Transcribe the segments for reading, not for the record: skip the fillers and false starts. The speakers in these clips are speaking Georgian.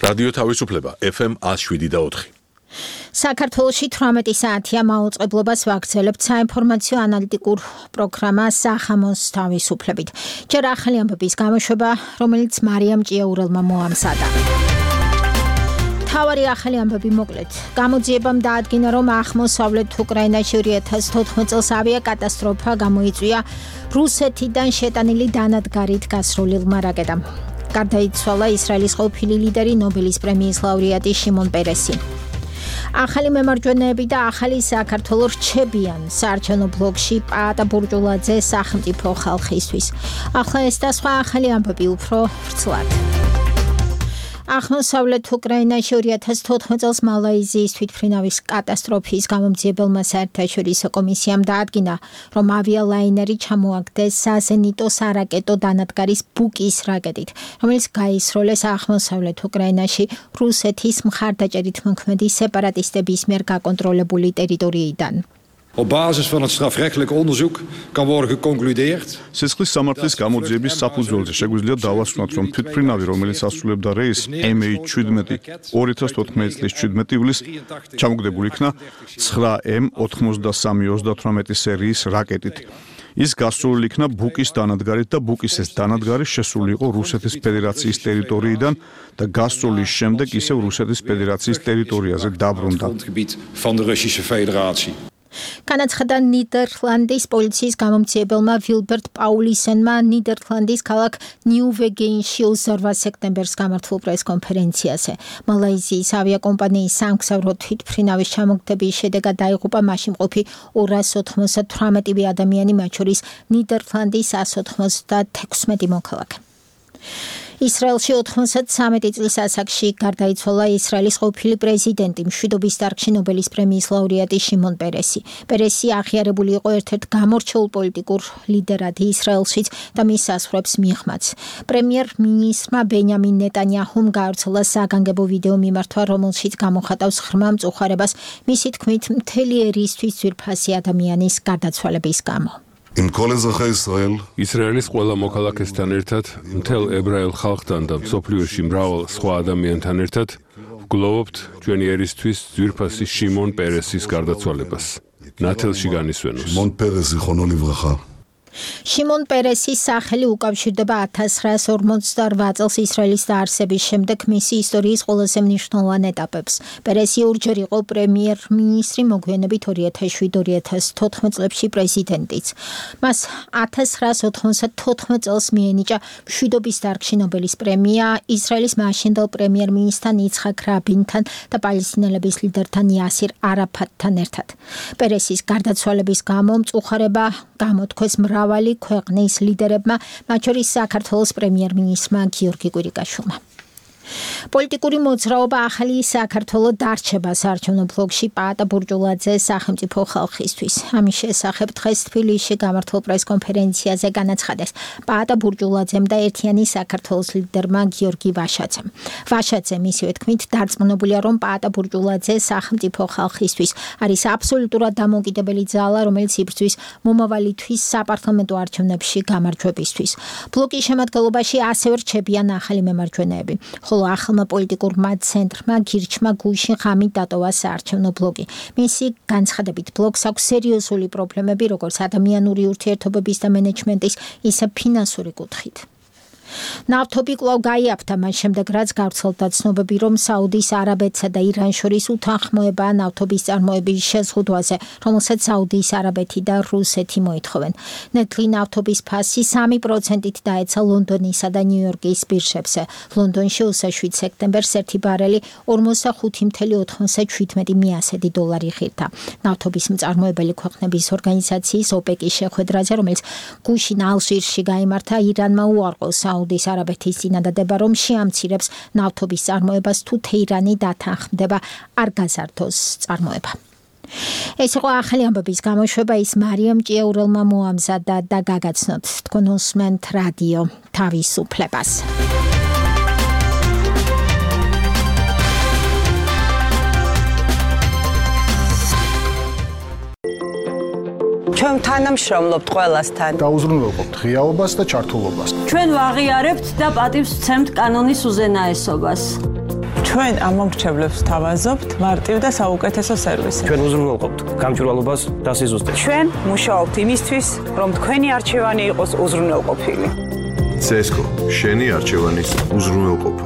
რადიო თავისუფლება FM 107.4. საქართველოში 18 საათია მაუწყებლობას ვაგრძელებთ საინფორმაციო ანალიტიკურ პროგრამა სახამოს თავისუფლებით. ჯერ ახალი ამბების გამოშვება, რომელიც მარიამ ჭიაურელმა მოამზადა. თავარი ახალი ამბები მოკლედ. გამოძიებამ დაადგინა, რომ აღმოსავლეთ უკრაინაში 2014 წელს ავიაკატასტროფა გამოიწვია რუსეთიდან შეტანილი დანადგარით გასრულილმა რაკეტამ. გარდაიცვალა ისრაელის ყოფილი ლიდერი, ნობელის პრემიის ლაურეატი შიმონ პერესი. ახალი მემარჯვენეები და ახალი საქართველო რჩებიან საარჩევნო ბლოკში პაატა ბურჯულაძე სახელმწიფო ხალხისთვის. ახლა ეს და სხვა ახალი ამბები უფრო ვრცლად. აღმოსავლეთ უკრაინაში 2014 წელს მალაიზიის თვითმფრინავის კატასტროფის გამომძიებელმა საერთაშორისო კომისიამ დაადგინა, რომ ავიალაინერი ჩამოაგდეს საზენიტო სარაკეტო დანადგარის ბუკის რაკეტით, რომელიც გაისროლეს აღმოსავლეთ უკრაინაში რუსეთის მხარდაჭერით მოქმედი სეპარატისტების მიერ გაკონტროლებული ტერიტორიიდან. Op basis van het strafrechtelijk onderzoek kan worden geconcludeerd. სისხლის სამართლის გამოძიების საფუძველზე შეგვიძლია დავასვანოთ, რომ თვითმფრინავი, რომელიც ასრულებდა რეისს MH17 2014 წლის 17 ივლისს ჩამოგდებული იქნა 9M9338 სერიის რაკეტით. ის გასროლილი იქნა ბუკის დანადგარით და ბუკის ეს დანადგარი შესული იყო რუსეთის ფედერაციის ტერიტორიიდან და გასროლის შემდეგ ისევ რუსეთის ფედერაციის ტერიტორიაზე დაბრუნდა. განაცხადა ნიდერლანდის პოლიციის გამომძიებელმა ვილბერტ პაულისენმა ნიდერლანდის ქალაქ ნიუ-ვეგენში 28 სექტემბერს გამართულ პრესკონფერენციაზე. მალაიზიის ავიაკომპანიის სამგზავრო თვითმფრინავის ჩამოგდების შედეგად დაიღუპა მასში მყოფი 298 ადამიანი, მათ შორის ნიდერლანდის 196 მოქალაქე. ისრაელში 93 წლის ასაკში გარდაიცვალა ისრაელის ყოფილი პრეზიდენტი, მშვიდობის დარგში ნობელის პრემიის ლაურეატი შიმონ პერესი. პერესი აღიარებული იყო ერთ-ერთ გამორჩეულ პოლიტიკურ ლიდერად ისრაელშიც და მის საზღვრებს მიღმაც. პრემიერ-მინისტრმა ბენიამინ ნეტანიაჰუმ გაავრცელა საგანგებო ვიდეო მიმართვა, რომელშიც გამოხატავს ღრმა მწუხარებას, მისი თქმით, მთელი ერისთვის ძვირფასი ადამიანის გარდაცვალების გამო. ისრაელის ყველა მოქალაქესთან ერთად, მთელ ებრაელ ხალხთან და მსოფლიოში მრავალ სხვა ადამიანთან ერთად ვგლოვობთ ჩვენი ერისთვის ძვირფასი შიმონ პერესის გარდაცვალებას. ნათელში განისვენოს. შიმონ პერესის სახელი უკავშირდება 1948 წელს ისრაელის დაარსების შემდეგ მისი ისტორიის ყველაზე მნიშვნელოვან ეტაპებს. პერესი ორჯერ იყო პრემიერ-მინისტრი, მოგვიანებით 2007-2014 წლებში პრეზიდენტიც. მას 1994 წელს მიენიჭა მშვიდობის დარგში ნობელის პრემია ისრაელის მაშინდელ პრემიერ-მინისტრთან იცხაკ რაბინთან და პალესტინელების ლიდერთან იასირ არაფატთან ერთად. პერესის გარდაცვალების გამო მწუხარება გამოთქვეს მრავალი ქვეყნის ლიდერებმა, მათ შორის საქართველოს პრემიერ-მინისტრმა გიორგი კვირიკაშვილმა. პოლიტიკური მოძრაობა ახალი საქართველო დარჩება საარჩევნო ბლოკში პაატა ბურჯულაძე სახელმწიფო ხალხისთვის. ამის შესახებ დღეს თბილისში გამართულ პრესკონფერენციაზე განაცხადეს პაატა ბურჯულაძემ და ერთიანი საქართველოს ლიდერმა გიორგი ვაშაძემ. ვაშაძე მისივე თქმით დარწმუნებულია, რომ პაატა ბურჯულაძე სახელმწიფო ხალხისთვის არის აბსოლუტურად დამოუკიდებელი ძალა, რომელიც იბრძვის მომავალისთვის საპარლამენტო არჩევნებში გამარჯვებისთვის. ბლოკის შემადგენლობაში ასევე რჩებიან ახალი მემარჯვენეები. ახალმა პოლიტიკურმა ცენტრმა გირჩმა გუშინ ღამით დატოვა საარჩევნო ბლოკი. მისი განცხადებით ბლოკს აქვს სერიოზული პრობლემები, როგორც ადამიანური ურთიერთობების და მენეჯმენტის, ისე ფინანსური კუთხით. ნავთობი კვლავ გაიაფთა მას შემდეგ, რაც გავრცელდა ცნობები, რომ საუდის არაბეთსა და ირანს შორის უთანხმოებაა ნავთობის წარმოების შეზღუდვაზე, რომელსაც საუდის არაბეთი და რუსეთი მოითხოვენ. ნედლი ნავთობის ფასი 3%-ით დაეცა ლონდონისა და ნიუ-იორკის ბირჟებზე. ლონდონში 27 სექტემბერს ერთი ბარელი 45.97 მიასედი დოლარი ღირდა. ნავთობის მწარმოებელი ქვეყნების ორგანიზაციის ოპეკის შეხვედრაზე, რომელიც გუშინ ალჟირში გაიმართა, ირანმა უარყო საუდის არაბეთის წინადადება, რომ შეამცირებს ნავთობის წარმოებას თუ თეირანი დათანხმდება არ გაზარდოს წარმოება. ეს იყო ახალი ამბების გამოშვება, ის მარიამ ჭიაურელმა მოამზადა და გაგაცნოთ. თქვენ უსმენთ რადიო თავისუფლებას. ჩვენ თანამშრომლობთ ყველასთან. დაუზრუნველყოფთ ღიაობას და ჩართულობას. ჩვენ ვაღიარებთ და პატივს ვცემთ კანონის უზენაესობას. ჩვენ ამ მომრჩევლებს თავაზობთ მარტივ და საუკეთესო სერვისით. ჩვენ უზრუნველყოფთ გამჭვირვალობას და სიზუსტეს. ჩვენ მუშაობთ იმისთვის, რომ თქვენი არჩევანი იყოს უზრუნველყოფილი. CESCO, შენი არჩევანის უზრუნველყოფა.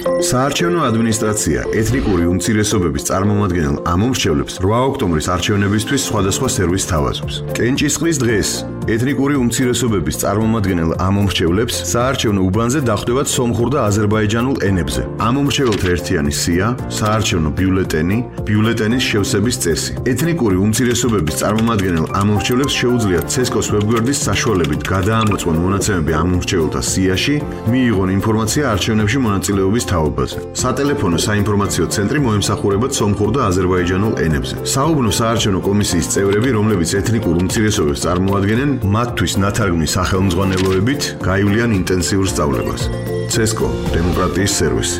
საარჩევნო ადმინისტრაცია ეთნიკური უმცირესობების წარმომადგენელ ამომრჩევლებს 8 ოქტომბრის არჩევნებისთვის სხვადასხვა სერვისს თავაზობს. კენჭისყრის დღეს ეთნიკური უმცირესობების წარმომადგენელ ამომრჩევლებს საარჩევნო უბანზე დახვდებათ სომხურ და აზერბაიჯანულ ენებზე. ამომრჩეველთა ერთიანი სია, საარჩევნო ბიულეტენი, ბიულეტენის შევსების წესი. ეთნიკური უმცირესობების წარმომადგენელ ამომრჩევლებს შეუძლიათ CESCO-s ვებგვერდის საშუალებით გადაამოწმონ მონაცემები ამომრჩეველთა სიაში, მიიღონ ინფორმაცია არჩევნებში მონაწილეობის თაობაზე. სატელეფონო საინფორმაციო ცენტრი მოემსახურებათ სომხურ და აზერბაიჯანულ ენებზე. საუბნო საარჩევნო კომისიის წევრები, რომლებიც ეთნიკურ უმცირესობებს წარმოადგენენ, მათთვის ნათარგმნის სახელმძღვანელოებით გაივლიან ინტენსიურ სწავლებას. CESCO დემოკრატიის სერვისი.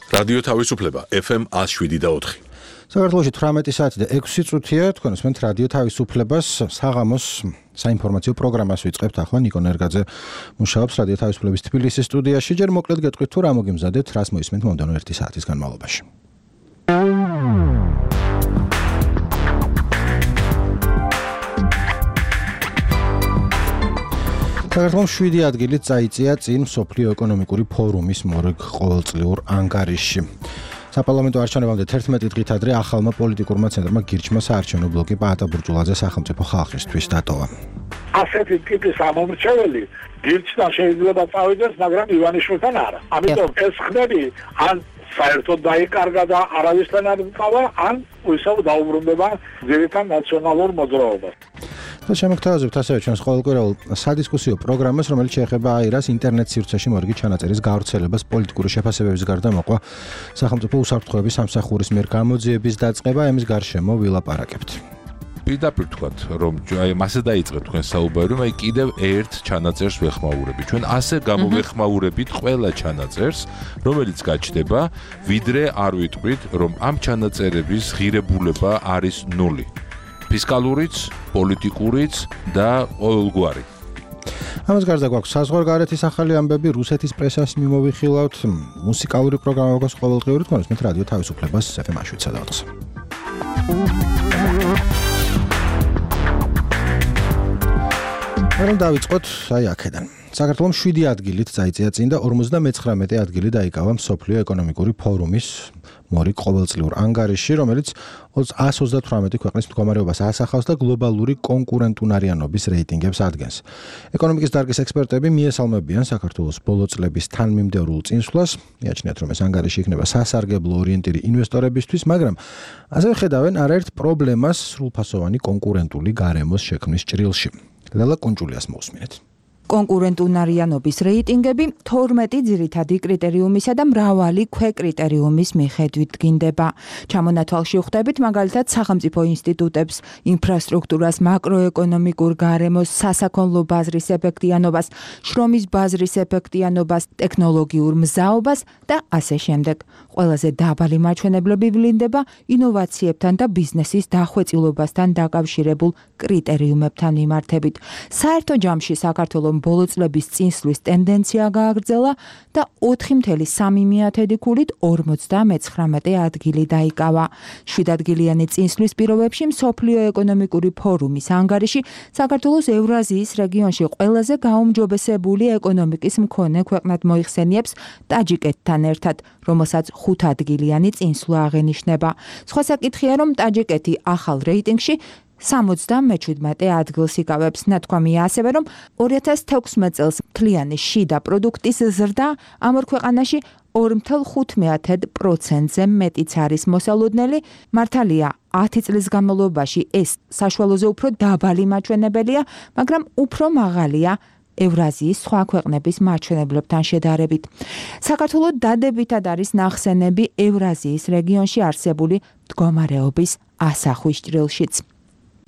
რადიო თავისუფლება FM 107.4. საქართველოში 18 საათი და 6 წუთია, თქვენ უსმენთ რადიო თავისუფლებას, საღამოს საინფორმაციო პროგრამას ვიწყებთ ახლა. ნიკო ნერგაძე მუშაობს რადიო თავისუფლების თბილისის სტუდიაში. ჯერ მოკლედ გეტყვით თუ რა მოგიმზადეთ, რას მოისმენთ მომდევნო 1 საათის განმავლობაში. საქართველოს 7 ადგილით წაიწია წინ მსოფლიო ეკონომიკური ფორუმის მორიგ ყოველწლიურ ანგარიშში. საპარლამენტო არჩევნებამდე 11 დღით ადრე ახალმა პოლიტიკურმა ცენტრმა გირჩმა საარჩევნო ბლოკი პაატა ბურჯულაძე სახელმწიფო ხალხისთვის დატოვა. ასეთი ტიპის ამომრჩეველი გირჩთან შეიძლება წავიდეს, მაგრამ ივანიშვილთან არა. ამიტომ ეს ხდები ან საერთოდ დაიკარგა და არავისთან არ მყავა, ან ისევ დაუბრუნდება ძირითად ნაციონალურ მოძრაობას. შემოგთავაზებთ ასევე ჩვენს ყოველკვირეულ სადისკუსიო პროგრამას, რომელიც შეეხება აირას ინტერნეტ სივრცეში მორიგი ჩანაწერის გავრცელებას, პოლიტიკური შეფასებების გარდა მოყვა სახელმწიფო უსაფრთხოების სამსახურის მიერ გამოძიების დაწყება, ამის გარშემო ვილაპარაკებთ. პირდაპირ თქვათ, რომ აი მასე დაიწყეთ თქვენ საუბარი, რომ აი კიდევ ერთ ჩანაწერს ვეხმაურებით. ჩვენ ასე გამოვეხმაურებით ყველა ჩანაწერს, რომელიც გაჩნდება, ვიდრე არ ვიტყვით, რომ ამ ჩანაწერების ღირებულება არის 0. ფისკალურიც, პოლიტიკურიც და ყოველგვარი. ამას გარდა გვაქვს საზღვარგარეთის ახალი ამბები, რუსეთის პრესას მიმოვიხილავთ, მუსიკალური პროგრამა გვაქვს ყოველდღიური, თქვენ უსმენთ რადიო თავისუფლებას FM 107.4. რომ დავიწყოთ აი აქედან. საქართველოს 7 ადგილით წაიწია წინ და 59 ადგილი დაიკავა მსოფლიო ეკონომიკური ფორუმის მორიგ ყოველწლიურ ანგარიშში, რომელიც 138 ქვეყნის მდგომარეობას ასახავს და გლობალური კონკურენტუნარიანობის რეიტინგებს ადგენს. ეკონომიკის დარგის ექსპერტები მიესალმებიან საქართველოს ბოლო წლების თანმიმდევრულ წინსვლას, მიაჩნიათ, რომ ეს ანგარიში იქნება სასარგებლო ორიენტირი ინვესტორებისთვის, მაგრამ ასევე ხედავენ არაერთ პრობლემას სრულფასოვანი კონკურენტული გარემოს შექმნის ჭრილში. ლელა კუნჭულიას მოусმინეთ. კონკურენტუნარიანობის რეიტინგები 12 ძირითადი კრიტერიუმისა და მრავალი ქვეკრიტერიუმის მიხედვით დგინდება. ჩამონათვალში ვხვდებით მაგალითად სახელმწიფო ინსტიტუტებს, ინფრასტრუქტურას, მაკროეკონომიკურ გარემოს, სასაქონლო ბაზრის ეფექტიანობას, შრომის ბაზრის ეფექტიანობას, ტექნოლოგიურ მზაობას და ასე შემდეგ. ყველაზე დაბალი მაჩვენებლები ვლინდება ინოვაციებთან და ბიზნესის დახვეწილობასთან დაკავშირებულ კრიტერიუმებთან მიმართებით. საერთო ჯამში საქართველოს ბოლო წლების წინსვლის ტენდენცია გააგრძელა და 4.3 ქულით 59 ადგილი დაიკავა. 7 ადგილიანი წინსვლის პირობებში მსოფლიო ეკონომიკური ფორუმის ანგარიში საქართველოს ევრაზიის რეგიონში ყველაზე გაუმჯობესებული ეკონომიკის მქონე ქვეყნად მოიხსენიებს ტაჯიკეთთან ერთად, რომელსაც 5 ადგილიანი წინსვლა აღენიშნება. სხვა საკითხია, რომ ტაჯიკეთი ახალ რეიტინგში 77 ადგილს იკავებს. ნათქვამია ასევე, რომ 2016 წელს მთლიანი შიდა პროდუქტის ზრდა ამ ორ ქვეყანაში 2.5%-ზე მეტიც არის მოსალოდნელი. მართალია 10 წლის განმავლობაში ეს საშუალოზე უფრო დაბალი მაჩვენებელია, მაგრამ უფრო მაღალია ევრაზიის სხვა ქვეყნების მაჩვენებლებთან შედარებით. საქართველოს დადებითად არის ნახსენები ევრაზიის რეგიონში არსებული მდგომარეობის ასახვის ჭრილშიც.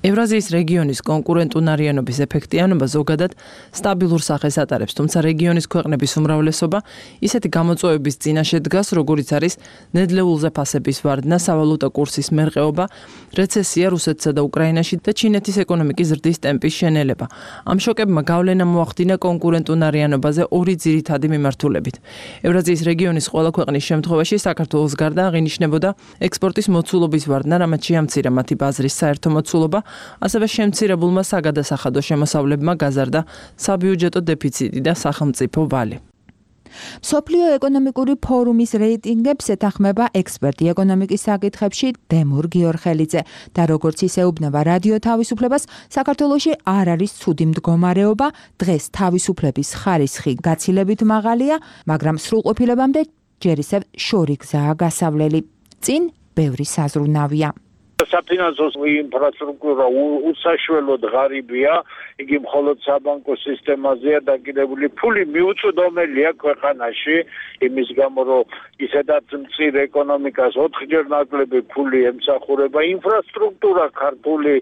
ევრაზიის რეგიონის კონკურენტუნარიანობის ეფექტიანობა ზოგადად სტაბილურ სახეს ატარებს, თუმცა რეგიონის ქვეყნების უმრავლესობა ისეთი გამოწვევების წინაშე დგას, როგორიც არის ნედლეულზე ფასების ვარდნა, სავალუტო კურსის მერყეობა, რეცესია რუსეთსა და უკრაინაში და ჩინეთის ეკონომიკის ზრდის ტემპის შენელება. ამ შოკებმა გავლენა მოახდინა კონკურენტუნარიანობაზე ორი ძირითადი მიმართულებით. ევრაზიის რეგიონის ყველა ქვეყნის შემთხვევაში საქართველოს გარდა აღინიშნებოდა ექსპორტის მოცულობის ვარდნა, რამაც შეამცირა მათი ბაზრის საერთო მოცულობა, ასევე შემცირებულმა საგადასახადო შემოსავლებმა გაზარდა საბიუჯეტო დეფიციტი და სახელმწიფო ვალი. მსოფლიო ეკონომიკური ფორუმის რეიტინგებს ეთანხმება ექსპერტი ეკონომიკის საკითხებში დემურ გიორხელიძე და როგორც ის ეუბნება რადიო თავისუფლებას, საქართველოში არ არის ცუდი მდგომარეობა, დღეს თავისუფლების ხარისხი გაცილებით მაღალია, მაგრამ სრულყოფილებამდე ჯერ ისევ შორი გზაა გასავლელი. წინ ბევრი საზრუნავია. საფინანსო ინფრასტრუქტურა უსაშველოდ ღარიბია, იგი მხოლოდ საბანკო სისტემაზეა დაკიდებული. ფული მიუწვდომელია ქვეყანაში, იმის გამო რომ ისედაც მწირ ეკონომიკას 4-ჯერ ნაკლები ფული ემსახურება. ინფრასტრუქტურა ქართული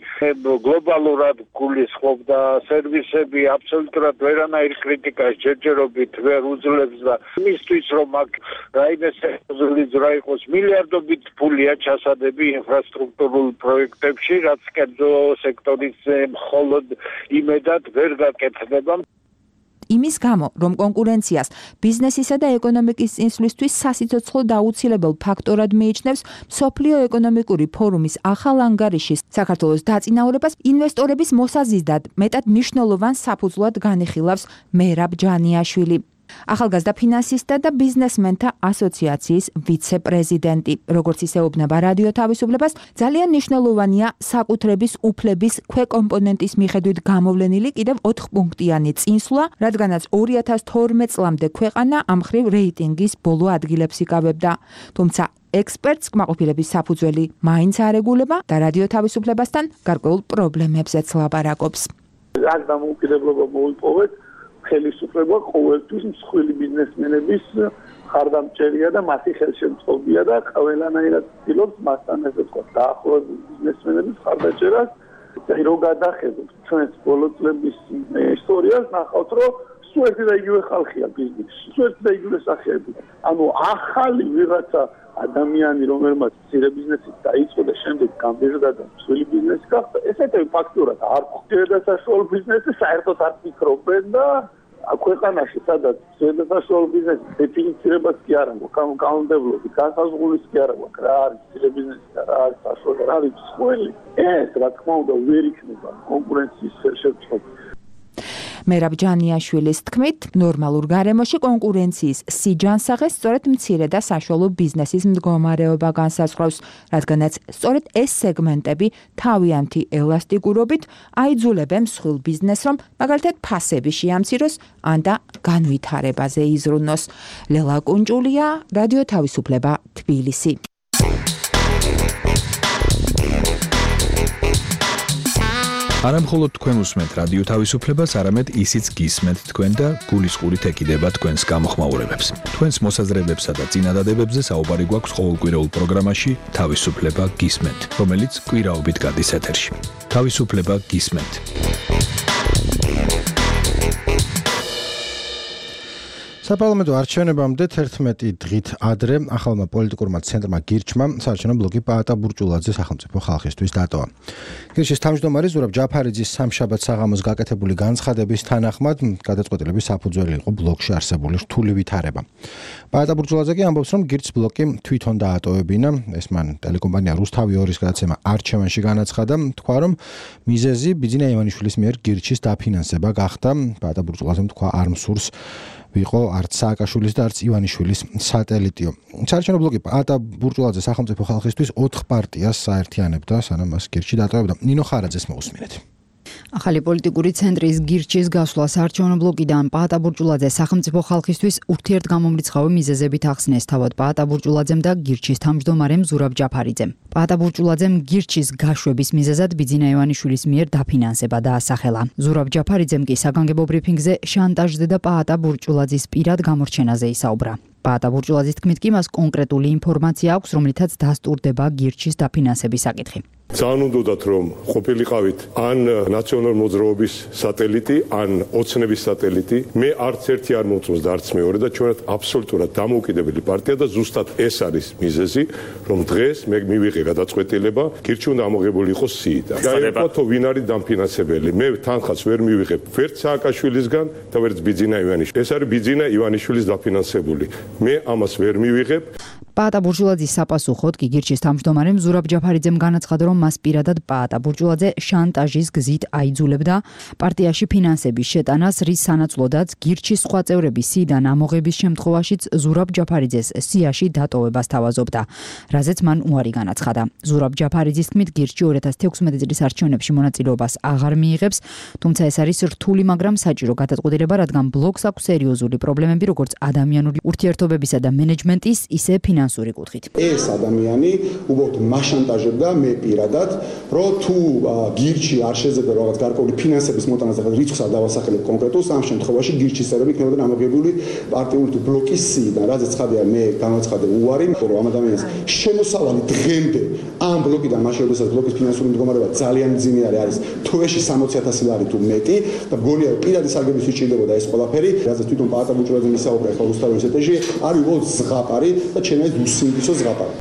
გლობალურად გულისხმობდა, სერვისები აბსოლუტურად ვერანაირ კრიტიკას ჯერჯერობით ვერ უძლებს და იმისთვის რომ აქ რაიმე სერიოზული იყოს მილიარდობით ფულია ჩასადები ინფრასტრუქტურა პროექტებში, რაც კერძო სექტორის მხოლოდ იმედად ვერ გაკეთდება. იმის გამო, რომ კონკურენციას ბიზნესისა და ეკონომიკის წინსვლისთვის სასიცოცხლო და აუცილებელ ფაქტორად მიიჩნევს მსოფლიო ეკონომიკური ფორუმის ახალ ანგარიშის საქართველოს დაწინაურებას ინვესტორების მოსაზიდად მეტად მნიშვნელოვან საფუძვლად განიხილავს მერაბ ჯანიაშვილი. ახალგაზრდა ფინანსისტთა და ბიზნესმენთა ასოციაციის ვიცე-პრეზიდენტი. როგორც ის ეუბნება რადიო თავისუფლებას, ძალიან მნიშვნელოვანია საკუთრების უფლების ქვეკომპონენტის მიხედვით გამოვლენილი კიდევ 4-პუნქტიანი წინსვლა, რადგანაც 2012 წლამდე ქვეყანა ამ მხრივ რეიტინგის ბოლო ადგილებს იკავებდა. თუმცა ექსპერტს კმაყოფილების საფუძველი მაინც არ ეგულება და რადიო თავისუფლებასთან გარკვეულ პრობლემებზეც ლაპარაკობს. აქ დამოუკიდებლობა მოიპოვეთ ხელისუფლება ყოველთვის მსხვილი ბიზნესმენების ხარდამჭერია და მათი ხელშემწყობია და ყველანაირად ცდილობს მასთან ესე თქვა დაახლოებით ბიზნესმენების ხარდაჭერას. რო გადახედოთ ჩვენს ბოლო წლების ისტორიას, ნახავთ რომ სულ ერთი და იგივე ხალხია ბიზნესში, სულ ერთი და იგივე სახეები. ანუ ახალი ვიღაცა ადამიანი, რომელმაც მცირე ბიზნესით დაიწყო და შემდეგ გამბეჟდა და მსხვილი ბიზნესი გახდა, ესეთები ფაქტურად არ ხვდიან და საშუალო ბიზნესი საერთოდ არ ფიქრობენ და ქვეყანაში სადაც საშუალო ბიზნესის დეფინიცირებას კი არ აქვს, კანონმდებლობის განსაზღვრულის კი არ აქვს, რა არის მცირე ბიზნესი და რა არის საშუალო, რა არის მსხვილი. ეს რა თქმა უნდა ვერ იქნება კონკურენციის ხელშემწყობი. მერაბ ჯანიაშვილის თქმით, ნორმალურ გარემოში კონკურენციის სიჯანსაღეს სწორედ მცირე და საშუალო ბიზნესის მდგომარეობა განსაზღვრავს, რადგანაც სწორედ ეს სეგმენტები თავიანთი ელასტიკურობით აიძულებენ მსხვილ ბიზნესს, რომ მაგალითად ფასები შეამციროს ან და განვითარებაზე იზრუნოს. ლელა კუნჭულია, რადიო თავისუფლება, თბილისი. არამხოლოდ თქვენ უსმენთ რადიო თავისუფლებას, არამედ ისიც გისმენთ თქვენ და გულისყურით ეკიდება თქვენს გამოხმაურებებს. თქვენს მოსაზრებებსა და წინადადებებზე საუბარი გვაქვს ყოველკვირეულ პროგრამაში თავისუფლება გისმენთ, რომელიც კვირაობით გადის ეთერში. თავისუფლება გისმენთ. საპარლამენტო არჩევნებამდე 11 დღით ადრე ახალმა პოლიტიკურმა ცენტრმა გირჩმა საარჩევნო ბლოკი პაატა ბურჭულაძის სახელმწიფო ხალხისთვის დატოვა. გირჩის თავმჯდომარე ზურაბ ჯაფარიძის სამშაბათ საღამოს გაკეთებული განცხადების თანახმად გადაწყვეტილების საფუძველი იყო ბლოკში არსებული რთული ვითარება. პაატა ბურჭულაძე კი ამბობს, რომ გირჩის ბლოკი თვითონ დაატოვებინა, ეს მან ტელეკომპანია რუსთავი 2-ის გადაცემა არჩევანში განაცხადა, თქვა, რომ მიზეზი ბიძინა ივანიშვილის მიერ გირჩის დაფინანსება გახდა. პაატა ბურჭულაძემ თქვა, არ მსურს ვიყო არც სააკაშვილის და არც ივანიშვილის სატელიტიო. საარჩევნო ბლოკი პაატა ბურჭულაძის სახელმწიფო ხალხისთვის 4 პარტიას საერთიანებდა, სანამ მას გირჩი დატოვებდა. ნინო ხარაძეს მოусმინეთ. ახალი პოლიტიკური ცენტრის გირჩის გასვლა საარჩევნო ბლოკიდან პაატა ბურჭულაძეს სახელმწიფო ხალხისთვის ურთიერთგამომრიცხავი მიზეზებით ახსნეს თავად პაატა ბურჭულაძემ და გირჩის თავმჯდომარემ ზურაბ ჯაფარიძემ. პაატა ბურჭულაძემ გირჩის გაშვების მიზეზად ბიძინა ივანიშვილის მიერ დაფინანსება დაასახელა. ზურაბ ჯაფარიძემ კი საგანგებო ბრიფინგზე შანტაჟზე და პაატა ბურჭულაძის პირად გამორჩენაზე ისაუბრა. პაატა ბურჭულაძის თქმით კი მას კონკრეტული ინფორმაცია აქვს, რომლითაც დასტურდება გირჩის დაფინანსების საკითხი. ძალიან უნდათ რომ ყოფილიყავით ან ნაციონალურ მოძრაობის სატელიტი, ან ოცნების სატელიტი. მე არც ერთი არ მომწონს და არც მეორე და ჩვენად აბსოლუტურად დამოუკიდებელი პარტია და ზუსტად ეს არის მიზეზი, რომ დღეს მე მივიღე გადაწყვეტილება, გირჩი უნდა ამოღებული იყოს სიიდან. გაიგო ვინ არის დამფინანსებელი. მე თანხას ვერ მივიღებ ვერც სააკაშვილისგან და ვერც ბიძინა ივანიშვილის. ეს არის ბიძინა ივანიშვილის დაფინანსებული. მე ამას ვერ მივიღებ. პაატა ბურჟულაძის საპასუხოდ კი გირჩის თავმჯდომარემ ზურაბ ჯაფარიძემ განაცხადა, რომ მას პირადად პაატა ბურჟულაძე შანტაჟის გზით აიძულებდა პარტიაში ფინანსების შეტანას, რის სანაცვლოდაც გირჩის სხვა წევრები სიიდან ამოღების შემთხვევაშიც ზურაბ ჯაფარიძეს სიაში დატოვებას თავაზობდა, რაზეც მან უარი განაცხადა. ზურაბ ჯაფარიძის თქმით, გირჩი 2016 წლის არჩევნებში მონაწილეობას აღარ მიიღებს, თუმცა ეს არის რთული, მაგრამ საჭირო გადაწყვეტილება, რადგან ბლოკს აქვს სერიოზული პრობლემები, როგორც ადამიანური ურთიერთობებისა და მენეჯმენტის, ისე ფინანსური კუთხით. ეს ადამიანი უბრალოდ მაშანტაჟებდა მე პირადად, რომ თუ გირჩი არ შეძებდა რაღაც გარკვეული ფინანსების მოტანას და რიცხვს არ დავასახელებ კონკრეტულს, ამ შემთხვევაში გირჩის წევრები იქნებოდნენ ამოღებული პარტიული თუ ბლოკის სიიდან, რაზეც ხადია მე განაცხადე უარი, რომ ამ ადამიანის შემოსავალი დღემდე ამ ბლოკიდან მაშინ როდესაც ბლოკის ფინანსური მდგომარეობა ძალიან მძიმე არის, თვეში 60,000 ლარი თუ მეტი და მგონია პირადი სარგებლობის სჭირდებოდა ეს ყველაფერი, რაზეც თვითონ პაატა ბურჟულაძე მისაუბრა ახლა რუსთავის ეთერში, არის უბრალოდ ზღაპარი და ჩემს უსინდისო ზღაპარი.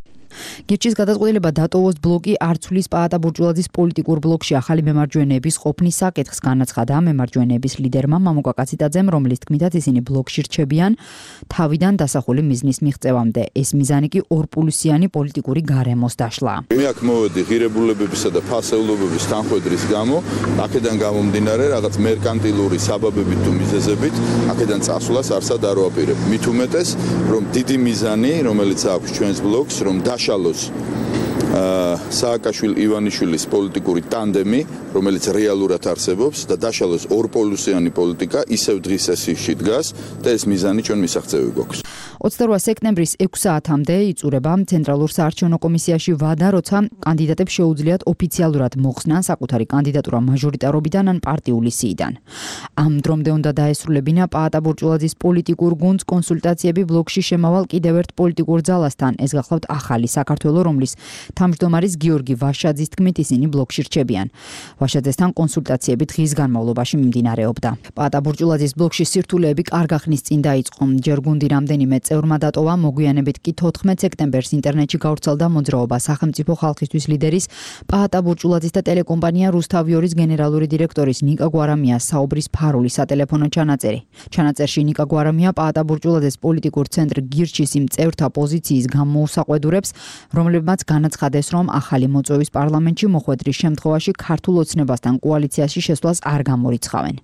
გირჩის გადაწყვეტილება დატოვოს ბლოკი არ ცვლის პაატა ბურჟულაძის პოლიტიკურ ბლოკში ახალი მემარჯვენეების ყოფნის საკითხს, განაცხადა მემარჯვენეების ლიდერმა მამუკა კაციტაძემ, რომლის თქმითაც ისინი ბლოკში რჩებიან თავიდან დასახული მიზნის მიღწევამდე. ეს მიზანი კი ორპულუსიანი პოლიტიკური გარემოს დაშლა. მე აქ მოვედი ღირებულებებისა და ფასეულობების თანხმედრის გამო, აქედან გამომდინარე რაღაც მერკანტილური საბაბებით თუ მიზეზებით, აქედან წასვლას არსად არ ვაპირებ. მით უმეტეს, რომ დიდი მიზანი, რომელიც აქვს ჩვენს ბლოკს, რომ დაშალოს სააკაშვილი-ივანიშვილის პოლიტიკური ტანდემი, რომელიც რეალურად არსებობს და დაშალოს ორპოლუსიანი პოლიტიკა, ისევ დღის სესიაში დგას და ეს მიზანი ჩვენ მისაღწევი გვაქვს. 28 სექტემბრის 6 საათამდე იწურება ცენტრალურ საარჩევნო კომისიაში ვადა, როცა კანდიდატებს შეუძლიათ ოფიციალურად მოხსნან საკუთარი კანდიდატურა მაჟორიტარობიდან ან პარტიული სიიდან. ამ დრომდე უნდა დაესრულებინა პაატა ბურჟულაძის პოლიტიკურ გუნდს კონსულტაციები ბლოკში შემავალ კიდევ ერთ პოლიტიკურ ძალასთან. ეს გახლავთ ახალი საქართველო, რომლის თავმჯდომარის გიორგი ვაშაძის თქმით, ისინი ბლოკში რჩებიან. ვაშაძესთან კონსულტაციები დღის განმავლობაში მიმდინარეობდა. პაატა ბურჟულაძის ბლოკში სირთულეები კარგახნის წინ დაიწყო. ჯერ გუნდი რამდენიმე წევრმა დატოვა, მოგვიანებით კი 14 სექტემბერს ინტერნეტში გავრცელდა მოძრაობა სახელმწიფო ხალხისთვის ლიდერის პაატა ბურჟულაძის და ტელეკომპანია რუსთავიორის გენერალური დირექტორის ნიკა გვარამიას საუბრის ფარული სატელეფონო ჩანაწერი. ჩანაწერში ნიკა გვარამია პაატა ბურჟულაძეს პოლიტიკურ ცენტრ გირჩის იმ წევრთა პოზიციის გამოუსაყვედურებს, რომლებმაც განაცხადეს, რომ ახალი მოწვევის პარლამენტში მოხვედრის შემთხვევაში ქართულ ოცნებასთან კოალიციაში შესვლას არ გამორიცხავენ.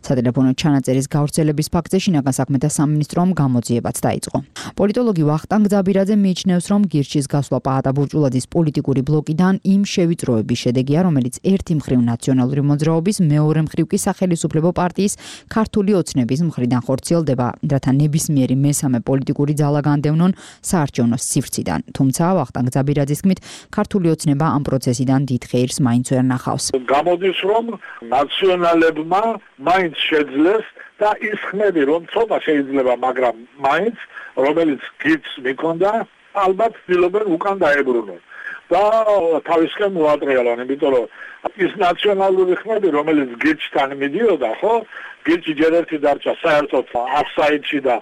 სატელეფონო ჩანაწერის გავრცელების ფაქტზე შინაგან საქმეთა სამინისტრომ გამოძიებაც დაიწყო. პოლიტოლოგი ვახტანგ ძაბირაძე მიიჩნევს, რომ გირჩის გასვლა პაატა ბურჟულაძის პოლიტიკური ბლოკიდან იმ შევიწროების შედეგია, რომელიც ერთი მხრივ ნაციონალური მოძრაობის, მეორე მხრივ კი სახელისუფლებო პარტიის ქართული ოცნების მხრიდან ხორციელდება, რათა ნებისმიერი მესამე პოლიტიკური ძალა განდევნონ საარჩევნო სივრციდან. თუმცა ვახტანგ ძაბირაძის თქმით, ქართული ოცნება ამ პროცესიდან დიდ ხეირს მაინც ვერ ნახავს. გამოდის, რომ ნაციონალებმა მაინც შეძლეს და ის ხმები, რომ ცოტა შეიძლება, მაგრამ მაინც რომელიც გიც მიქონდა, ალბათ ცდილობენ უკან დაებრუნონ. და თავისკენ მოატრიალონ, იმიტომ რომ ის ნაციონალური ხმები, რომელიც გიჩთან მიდიოდა, ხო? გიჩი ჯერ ერთი დარჩა საერთოდ აფსაიდში და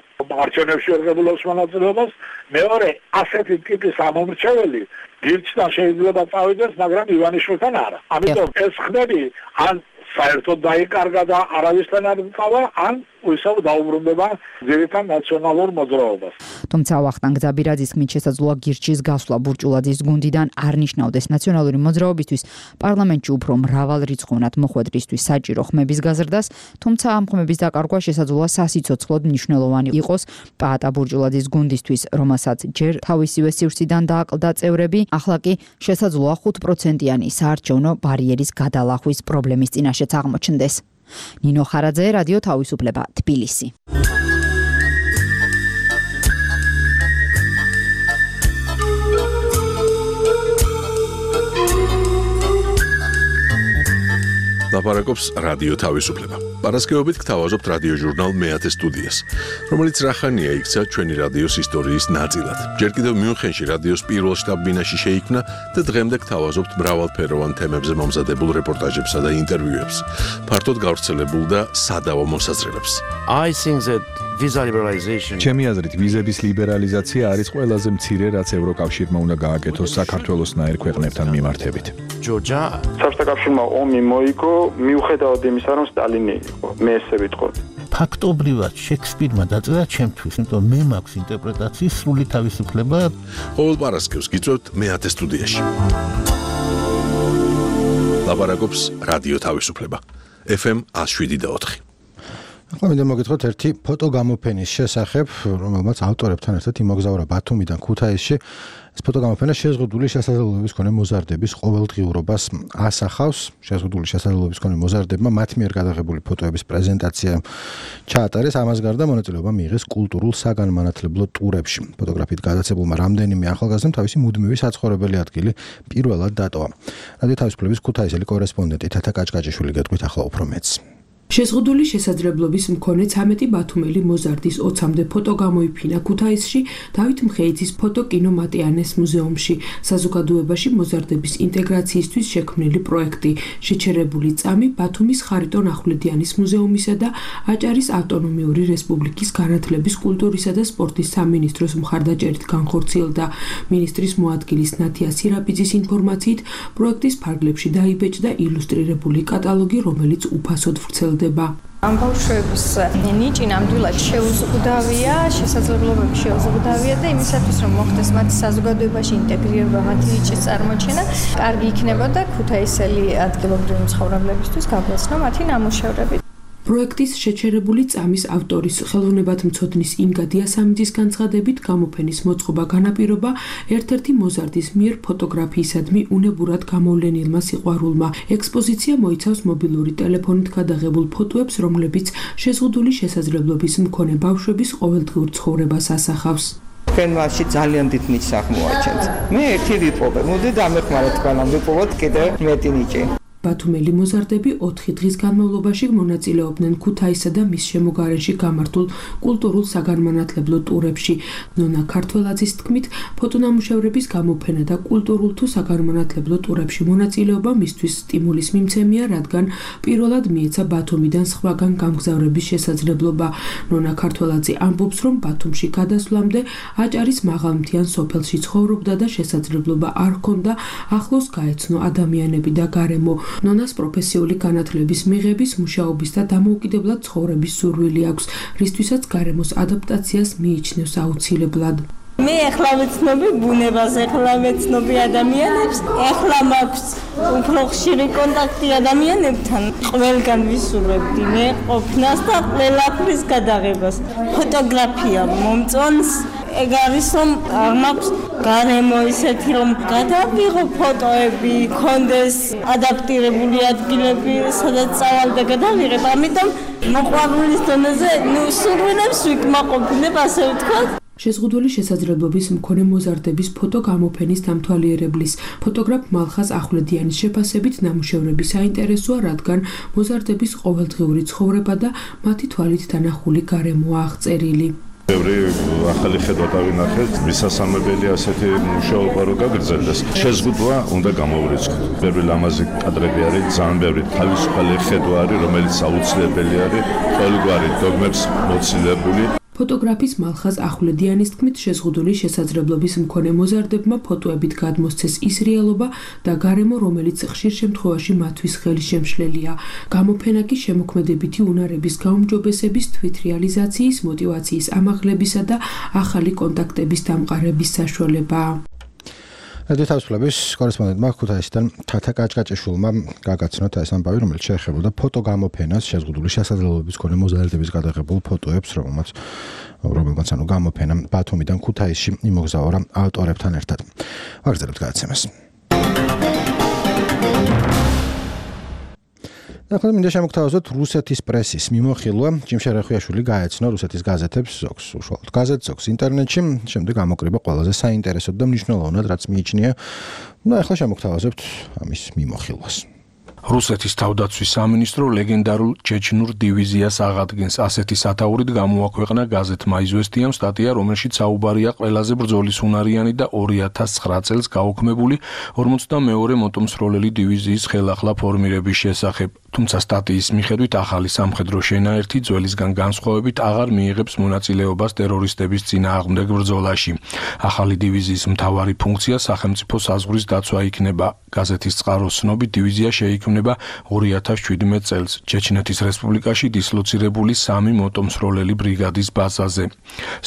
არჩევნებში ერგებულობს მონაწილეობას, მეორე ასეთი ტიპის ამომრჩეველი გიჩთან შეიძლება წავიდეს, მაგრამ ივანიშვილთან არა. ამიტომ ეს ხმები ან საერთოდ დაიკარგა და არავისთან არ წავა, ან ისევ დაუბრუნდება ძირითად ნაციონალურ მოძრაობას. თუმცა ვახტანგ ძაბირაძის თქმით, შესაძლოა გირჩის გასვლა ბურჟულაძის გუნდიდან არ ნიშნავდეს ნაციონალური მოძრაობისთვის პარლამენტში უფრო მრავალრიცხოვნად მოხვედრისთვის საჭირო ხმების გაზრდას, თუმცა ამ ხმების დაკარგვა შესაძლოა სასიცოცხლოდ მნიშვნელოვანი იყოს პაატა ბურჟულაძის გუნდისთვის, რომელსაც ჯერ თავისივე სივრციდან დააკლდა წევრები, ახლა კი შესაძლოა 5%-იანი საარჩევნო ბარიერის გადალახვის პრობლემის წინაშეც აღმოჩნდეს. ნინო ხარაძე, რადიო თავისუფლება, თბილისი. ლაპარაკობს რადიო თავისუფლება. Პარასკევობით გთავაზობთ რადიო ჟურნალ მეათე სტუდიას, რომელიც რახანია იქცა ჩვენი რადიოს ისტორიის ნაწილად. ჯერ კიდევ მიუნხენში რადიოს პირველ შტაბ-ბინაში შეიქმნა და დღემდე გთავაზობთ მრავალფეროვან თემებზე მომზადებულ რეპორტაჟებსა და ინტერვიუებს, ფართოდ გავრცელებულ და სადავო მოსაზრებებს. ჩემი აზრით, ვიზების ლიბერალიზაცია არის ყველაზე მცირე, რაც ევროკავშირმა უნდა გააკეთოს საქართველოსნაირ ქვეყნებთან მიმართებით. საბჭოთა კავშირმა ომი მოიგო, მიუხედავად იმისა, რომ სტალინი იყო. მე ესე ვიტყოდი. ფაქტობრივად შექსპირმა დაწერა ჩემთვის, იმიტომ მე მაქვს ინტერპრეტაციის სრული თავისუფლება. ყოველ პარასკევს გიწევთ მეათე სტუდიაში. ლაპარაკობს რადიო თავისუფლება. FM 107.4. ახლა მინდა მოგითხრათ ერთი ფოტო გამოფენის შესახებ, რომელმაც ავტორებთან ერთად იმოგზაურა ბათუმიდან ქუთაისში. ეს ფოტო გამოფენა შეზღუდული შესაძლებლობების მქონე მოზარდების ყოველდღიურობას ასახავს. შეზღუდული შესაძლებლობების მქონე მოზარდებმა მათ მიერ გადაღებული ფოტოების პრეზენტაცია ჩაატარეს. ამას გარდა მონაწილეობა მიიღეს კულტურულ საგანმანათლებლო ტურებში. ფოტოგრაფით გადაცებულმა რამდენიმე ახალგაზრდამ თავისი მუდმივი საცხოვრებელი ადგილი პირველად დატოვა. რადიო თავისუფლების ქუთაისელი კორესპონდენტი თათა კაჭკაჭიშვილი გეტყვით ახლა უფრო მეც. შეზღუდული შესაძლებლობის მქონე 13 ბათუმელი მოზარდის 20-მდე ფოტო გამოიფინა ქუთაისში დავით მხეიძის ფოტო-კინო მატიანეს მუზეუმში. საზოგადოებაში მოზარდების ინტეგრაციისთვის შექმნილი პროექტი შეჩერებული წამი ბათუმის ხარიტონ ახვლედიანის მუზეუმისა და აჭარის ავტონომიური რესპუბლიკის განათლების, კულტურისა და სპორტის სამინისტროს მხარდაჭერით განხორციელდა. მინისტრის მოადგილის ნათია სირაპიძის ინფორმაციით, პროექტის ფარგლებში დაიბეჭდა ილუსტრირებული კატალოგი, რომელიც უფასოდ ვრცელდება. ამ ბავშვების ნიჭი ნამდვილად შეუზღუდავია, შესაძლებლობები შეუზღუდავია და იმისათვის რომ მოხდეს მათი საზოგადოებაში ინტეგრირება, მათი ნიჭის წარმოჩენა, კარგი იქნებოდა ქუთაისელი ადგილობრივი მცხოვრებლებისთვის გაგვეცნო მათი ნამუშევრები. პროექტის შეჩერებული წამის ავტორის ხელოვნებათმცოდნის ინგა დიასამიძის განცხადებით გამოფენის მოწყობა განაპირობა ერთ-ერთი მოზარდის მიერ ფოტოგრაფიისადმი უნებურად გამოვლენილმა სიყვარულმა. ექსპოზიცია მოიცავს მობილური ტელეფონით გადაღებულ ფოტოებს, რომლებიც შეზღუდული შესაძლებლობის მქონე ბავშვების ყოველდღიურ ცხოვრებას ასახავს. თქვენ მასში ძალიან დიდ ნიჭს აღმოაჩენთ. მე ერთი ვიპოვე, მოდი დამეხმაროთ თქვენამ ვიპოვოთ კიდევ მეტი ნიჭი. ბათუმელი მოზარდები 4 დღის განმავლობაში მონაწილეობდნენ ქუთაისსა და მის შემოგარენში გამართულ კულტურულ საგანმანათლებლო ტურებში. ნონა ქართველაძის თქმით, ფოტონამუშევრების გამოფენა და კულტურულ თუ საგანმანათლებლო ტურებში მონაწილეობა მისთვის სტიმულის მიმცემია, რადგან პირველად მიეცა ბათუმიდან სხვაგან გამგზავრების შესაძლებლობა. ნონა ქართველაძე ამბობს, რომ ბათუმში გადასვლამდე აჭარის მაღალმთიან სოფელში ცხოვრობდა და შესაძლებლობა არ ჰქონდა ახლოს გაეცნო ადამიანები და გარემო. ნონას პროფესიული განათლების მიღების, მუშაობის და დამოუკიდებლად ცხოვრების სურვილი აქვს, რისთვისაც გარემოს ადაპტაციას მიიჩნევს აუცილებლად. მე ახლა ვეცნობი ბუნებას, ახლა ვეცნობი ადამიანებს, ახლა მაქვს უფრო ხშირი კონტაქტი ადამიანებთან. ყველგან ვისურვებდი მე ყოფნას და ყველაფრის გადაღებას. ფოტოგრაფია მომწონს. ეგ არის რომ მაქვს გარემო ისეთი რომ გადავიღო ფოტოები, კონდეს ადაპტირებული ადგილები, სადაც წავალ და გადავიღებ. ამიტომ მოყვარულის დონეზე სურვილებს ვიკმაყოფილებ, ასე ვთქვათ. შეზღუდული შესაძლებლობის მქონე მოზარდების ფოტო გამოფენის დამთვალიერებლის ფოტოგრაფ მალხაზ ახვლედიანის შეფასებით ნამუშევრები საინტერესოა, რადგან მოზარდების ყოველდღიური ცხოვრება და მათი თვალით დანახული გარემოა აღწერილი. ბევრი ახალი ხედვა დავინახეთ, მისასალმებელი ასეთი მუშაობა რო გაგრძელდეს. შეზღუდვა უნდა გამოვრიცხოთ. ბევრი ლამაზი კადრები არის, ძალიან ბევრი თავისუფალი ხედვა არის, რომელიც აუცილებელი არის ყოველგვარი დოგმებს მოცილებული. ფოტოგრაფის მალხაზ ახვლედიანის თქმით, შეზღუდული შესაძლებლობის მქონე მოზარდებმა ფოტოებით გადმოსცეს ის რეალობა და გარემო, რომელიც ხშირ შემთხვევაში მათთვის ხელშემშლელია. გამოფენა კი შემოქმედებითი უნარების გაუმჯობესების, თვითრეალიზაციის, მოტივაციის ამაღლებისა და ახალი კონტაქტების დამყარების საშუალებაა. რადიო თავისუფლების კორესპონდენტმა ქუთაისიდან თათა კაჭკაჭიშვილმა გაგაცნოთ ეს ამბავი, რომელიც შეეხებოდა ფოტო გამოფენას შეზღუდული შესაძლებლობის მქონე მოზარდების გადაღებულ ფოტოებს, რომელმაც გამოფენა ბათუმიდან ქუთაისში იმოგზაურა ავტორებთან ერთად. ვაგრძელებთ გადაცემას. ახლა მინდა შემოგთავაზოთ რუსეთის პრესის მიმოხილვა. ჯიმშარ ახუიაშვილი გაეცნო რუსეთის გაზეთებს, ზოგს უშუალოდ გაზეთს, ზოგს ინტერნეტში, შემდეგ ამოკრიბა ყველაზე საინტერესოდ და მნიშვნელოვნად, რაც მიიჩნია. ახლა შემოგთავაზებთ ამის მიმოხილვას. რუსეთის თავდაცვის სამინისტრო ლეგენდარულ ჩეჩნურ დივიზიას აღადგენს. ასეთი სათაურით გამოაქვეყნა გაზეთმა „იზვესტიამ“ სტატია, რომელშიც საუბარია ყველაზე ბრძოლის უნარიანი და 2009 წელს გაუქმებული 52-ე მოტომსროლელი დივიზიის ხელახლა ფორმირების შესახებ. თუმცა სტატიის მიხედვით ახალი სამხედრო შენაერთი ძველისგან განსხვავებით აღარ მიიღებს მონაწილეობას ტერორისტების წინააღმდეგ ბრძოლაში. ახალი დივიზიის მთავარი ფუნქცია სახელმწიფო საზღვრის დაცვა იქნება. გაზეთის წყაროს ცნობით დივიზია შეიქმნება 2017 წელს ჩეჩნეთის რესპუბლიკაში დისლოცირებული 3 მოტომსროლელი ბრიგადის ბაზაზე.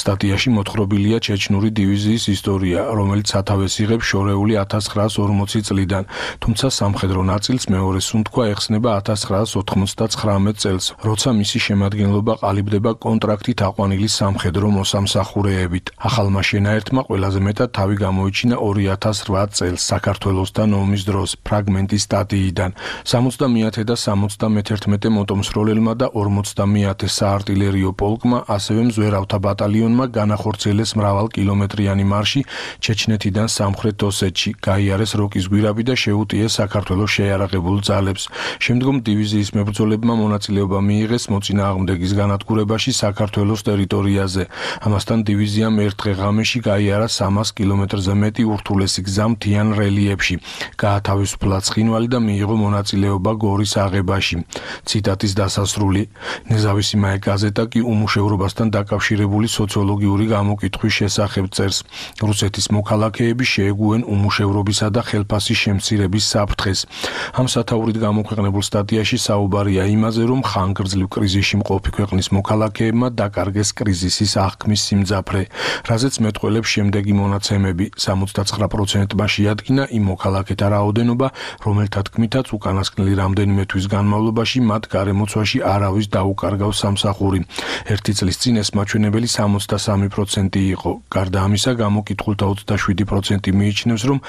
სტატიაში მოთხრობილია ჩეჩნური დივიზიის ისტორია, რომელიც სათავეს იღებს შორეული 1940 წლიდან, თუმცა სამხედრო ნაწილს მეორე სუნთქვა ეხსნება 1999 წელს, როცა მისი შემადგენლობა ყალიბდება კონტრაქტით აყვანილი სამხედრო მოსამსახურეებით. ახალმა შენაერთმა ყველაზე მეტად თავი გამოიჩინა 2008 წელს საქართველოსთან ომის დროს ფრაგმენტის სტატიიდან. 70-ე და 71-ე მოტომსროლელმა და 40-ე საარტილერიო პოლკმა, ასევე მზვერავთა ბატალიონმა განახორციელეს მრავალკილომეტრიანი მარში ჩეჩნეთიდან სამხრეთ ოსეთში, გაიარეს როკის გვირაბი და შეუტიეს საქართველოს შეიარაღებულ ძალებს. შემდგომ დივიზიის მებრძოლებმა მონაწილეობა მიიღეს მოწინააღმდეგის განადგურებაში საქართველოს ტერიტორიაზე. ამასთან დივიზიამ ერთ დღე-ღამეში გაიარა 300 კილომეტრზე მეტი ურთულესი გზა მთიან რელიეფში, გაათავისუფლა ცხინვალი და მიიღო მონაწილეობა გორის აღებაში. ციტატის დასასრული. ნეზავისი მაე გაზეტა კი უმუშევრობასთან დაკავშირებული სოციოლოგიური გამოკითხვის შესახებ წერს. რუსეთის მოქალაქეები შეეგუენ უმუშევრობისა და ხელფასის შემცირების საფრთხეს. ამ სათაურით გამოქვეყნებულ სტატიაში საუბარია იმაზე, რომ ხანგრძლივ კრიზისში მყოფი ქვეყნის მოქალაქეებმა დაკარგეს კრიზისის აღქმის სიმძაფრე, რაზეც მეტყველებს შემდეგი მონაცემები. 79%-მა შეადგინა იმ მოქალაქეთა რაოდენობა, რომელთა თქმითაც უკანასკნელი რამდენიმე თვის განმავლობაში მათ გარემოცვაში არავის დაუკარგავს სამსახური. ერთი წლის წინ ეს მაჩვენებელი 63% იყო. გარდა ამისა, გამოკითხულთა 27% მიიჩნევს, რომ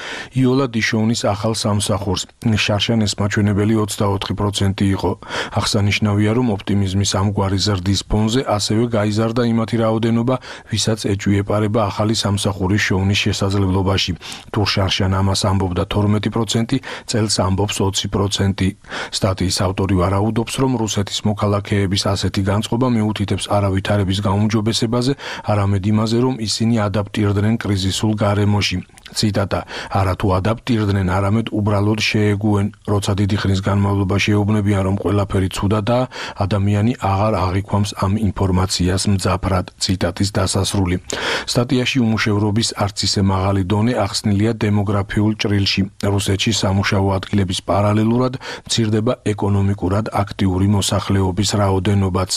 იოლა დიშოვნის ახალ სამსახურს. შარშან ეს მაჩვენებელი 24% იყო. აღსანიშნავია, რომ ოპტიმიზმის ამგვარი ზრდის ფონზე ასევე გაიზარდა იმათი რაოდენობა, ვისაც ეჭვიეპარება ახალი სამსახურის შოვნის შესაძლებლობაში. თუ შარშან ამას ამბობდა 12%, წელს ამბობს 20%. სტატიის ავტორი ვარაუდობს, რომ რუსეთის მოქალაქეების ასეთი განწყობა მიუთითებს არა ვითარების გაუმჯობესებაზე, არამედ იმაზე, რომ ისინი ადაპტირდნენ კრიზისულ გარემოში. ციტატა: არა თუ ადაპტირდნენ, არამედ უბრალოდ შეეგუენ, როცა დიდი ხნის განმავლობაში ეუბნებიან, რომ ყველაფერი ცუდადაა, ადამიანი აღარ აღიქვამს ამ ინფორმაციას მძაფრად. ციტატის დასასრული. სტატიაში უმუშევრობის არც ისე მაღალი დონე ახსნილია დემოგრაფიულ ჭრილში. რუსეთში სამუშაო ადგილების პარალელურად მცირდება ეკონომიკურად აქტიური მოსახლეობის რაოდენობაც.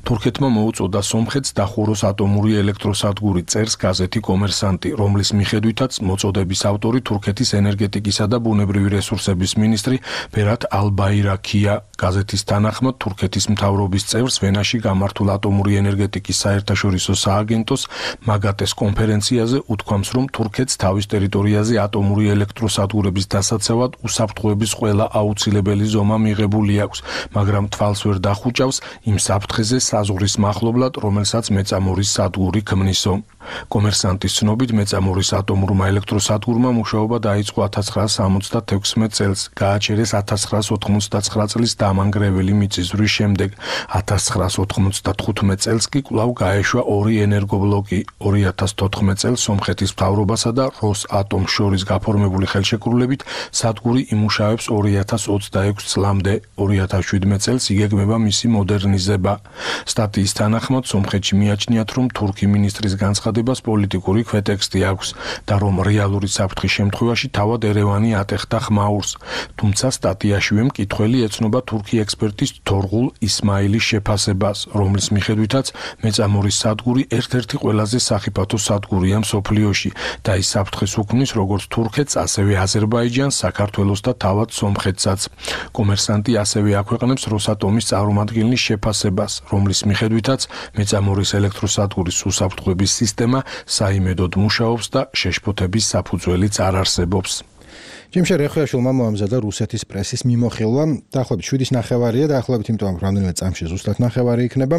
თურქეთმა მოუწოდა სომხეთს დახუროს ატომური ელექტროსადგური, წერს გაზეთი კომერსანტი, რომლის მიხედვითაც მოწოდების ავტორი თურქეთის ენერგეტიკისა და ბუნებრივი რესურსების მინისტრი ბერათ ალბაირაქია. გაზეთის თანახმად, თურქეთის მთავრობის წევრს ვენაში გამართულ ატომური ენერგეტიკის საერთაშორისო სააგენტოს მაგატეს კონფერენციაზე უთქვამს, რომ თურქეთს თავის ტერიტორიაზე ატომური ელექტროსადგურების დასაცავად უსაფრთხოების ყველა აუცილებელი ზომა მიღებული აქვს, მაგრამ თვალს ვერ დახუჭავს იმ საფრთხეზე საზღვრის მახლობლად, რომელსაც მეწამორის სადგური ქმნისო. კომერსანტის ცნობით, მეწამორის ატომურმა ელექტროსადგურმა მუშაობა დაიწყო 1976 წელს, გააჩერეს 1999 წლის დამანგრეველი მიწისძვრის შემდეგ. 1995 წელს კი კვლავ გაეშვა 2 ენერგობლოკი. 2014 წელს სომხეთის მთავრობასა და როსატომს შორის გაფორმებული ხელშეკრულებით სადგური იმუშავებს 2026 წლამდე. 2017 წელს იგეგმება მისი მოდერნიზება. სტატიის თანახმად, სომხეთში მიაჩნიათ, რომ თურქი მინისტრის განცხადებას პოლიტიკური ქვეტექსტი აქვს და რომ რეალური საფრთხის შემთხვევაში თავად ერევანი ატეხდა ხმაურს. თუმცა სტატიაშივე მკითხველი ეცნობა თურქი ექსპერტის თორღულ ისმაილის შეფასებას, რომლის მიხედვითაც მეწამორის სადგური ერთ-ერთი ყველაზე სახიფათო სადგურია მსოფლიოში და ის საფრთხეს უქმნის როგორც თურქეთს, ასევე აზერბაიჯანს, საქართველოს და თავად სომხეთსაც. კომერსანტი ასევე აქვეყნებს როსატომის წარმომადგენლის შეფასებას, რომლის მიხედვითაც მეწამორის ელექტროსადგურის უსაფრთხოების სისტემა საიმედოდ მუშაობს და შეშფოთების საფუძველიც არ არსებობს. ჯიმშე რეხვიაშვილმა მოამზადა რუსეთის პრესის მიმოხილვა. დაახლოებით 7:30-ია, დაახლოებით იმიტომ რომ რამდენიმე წამში ზუსტად 9:00 იქნება.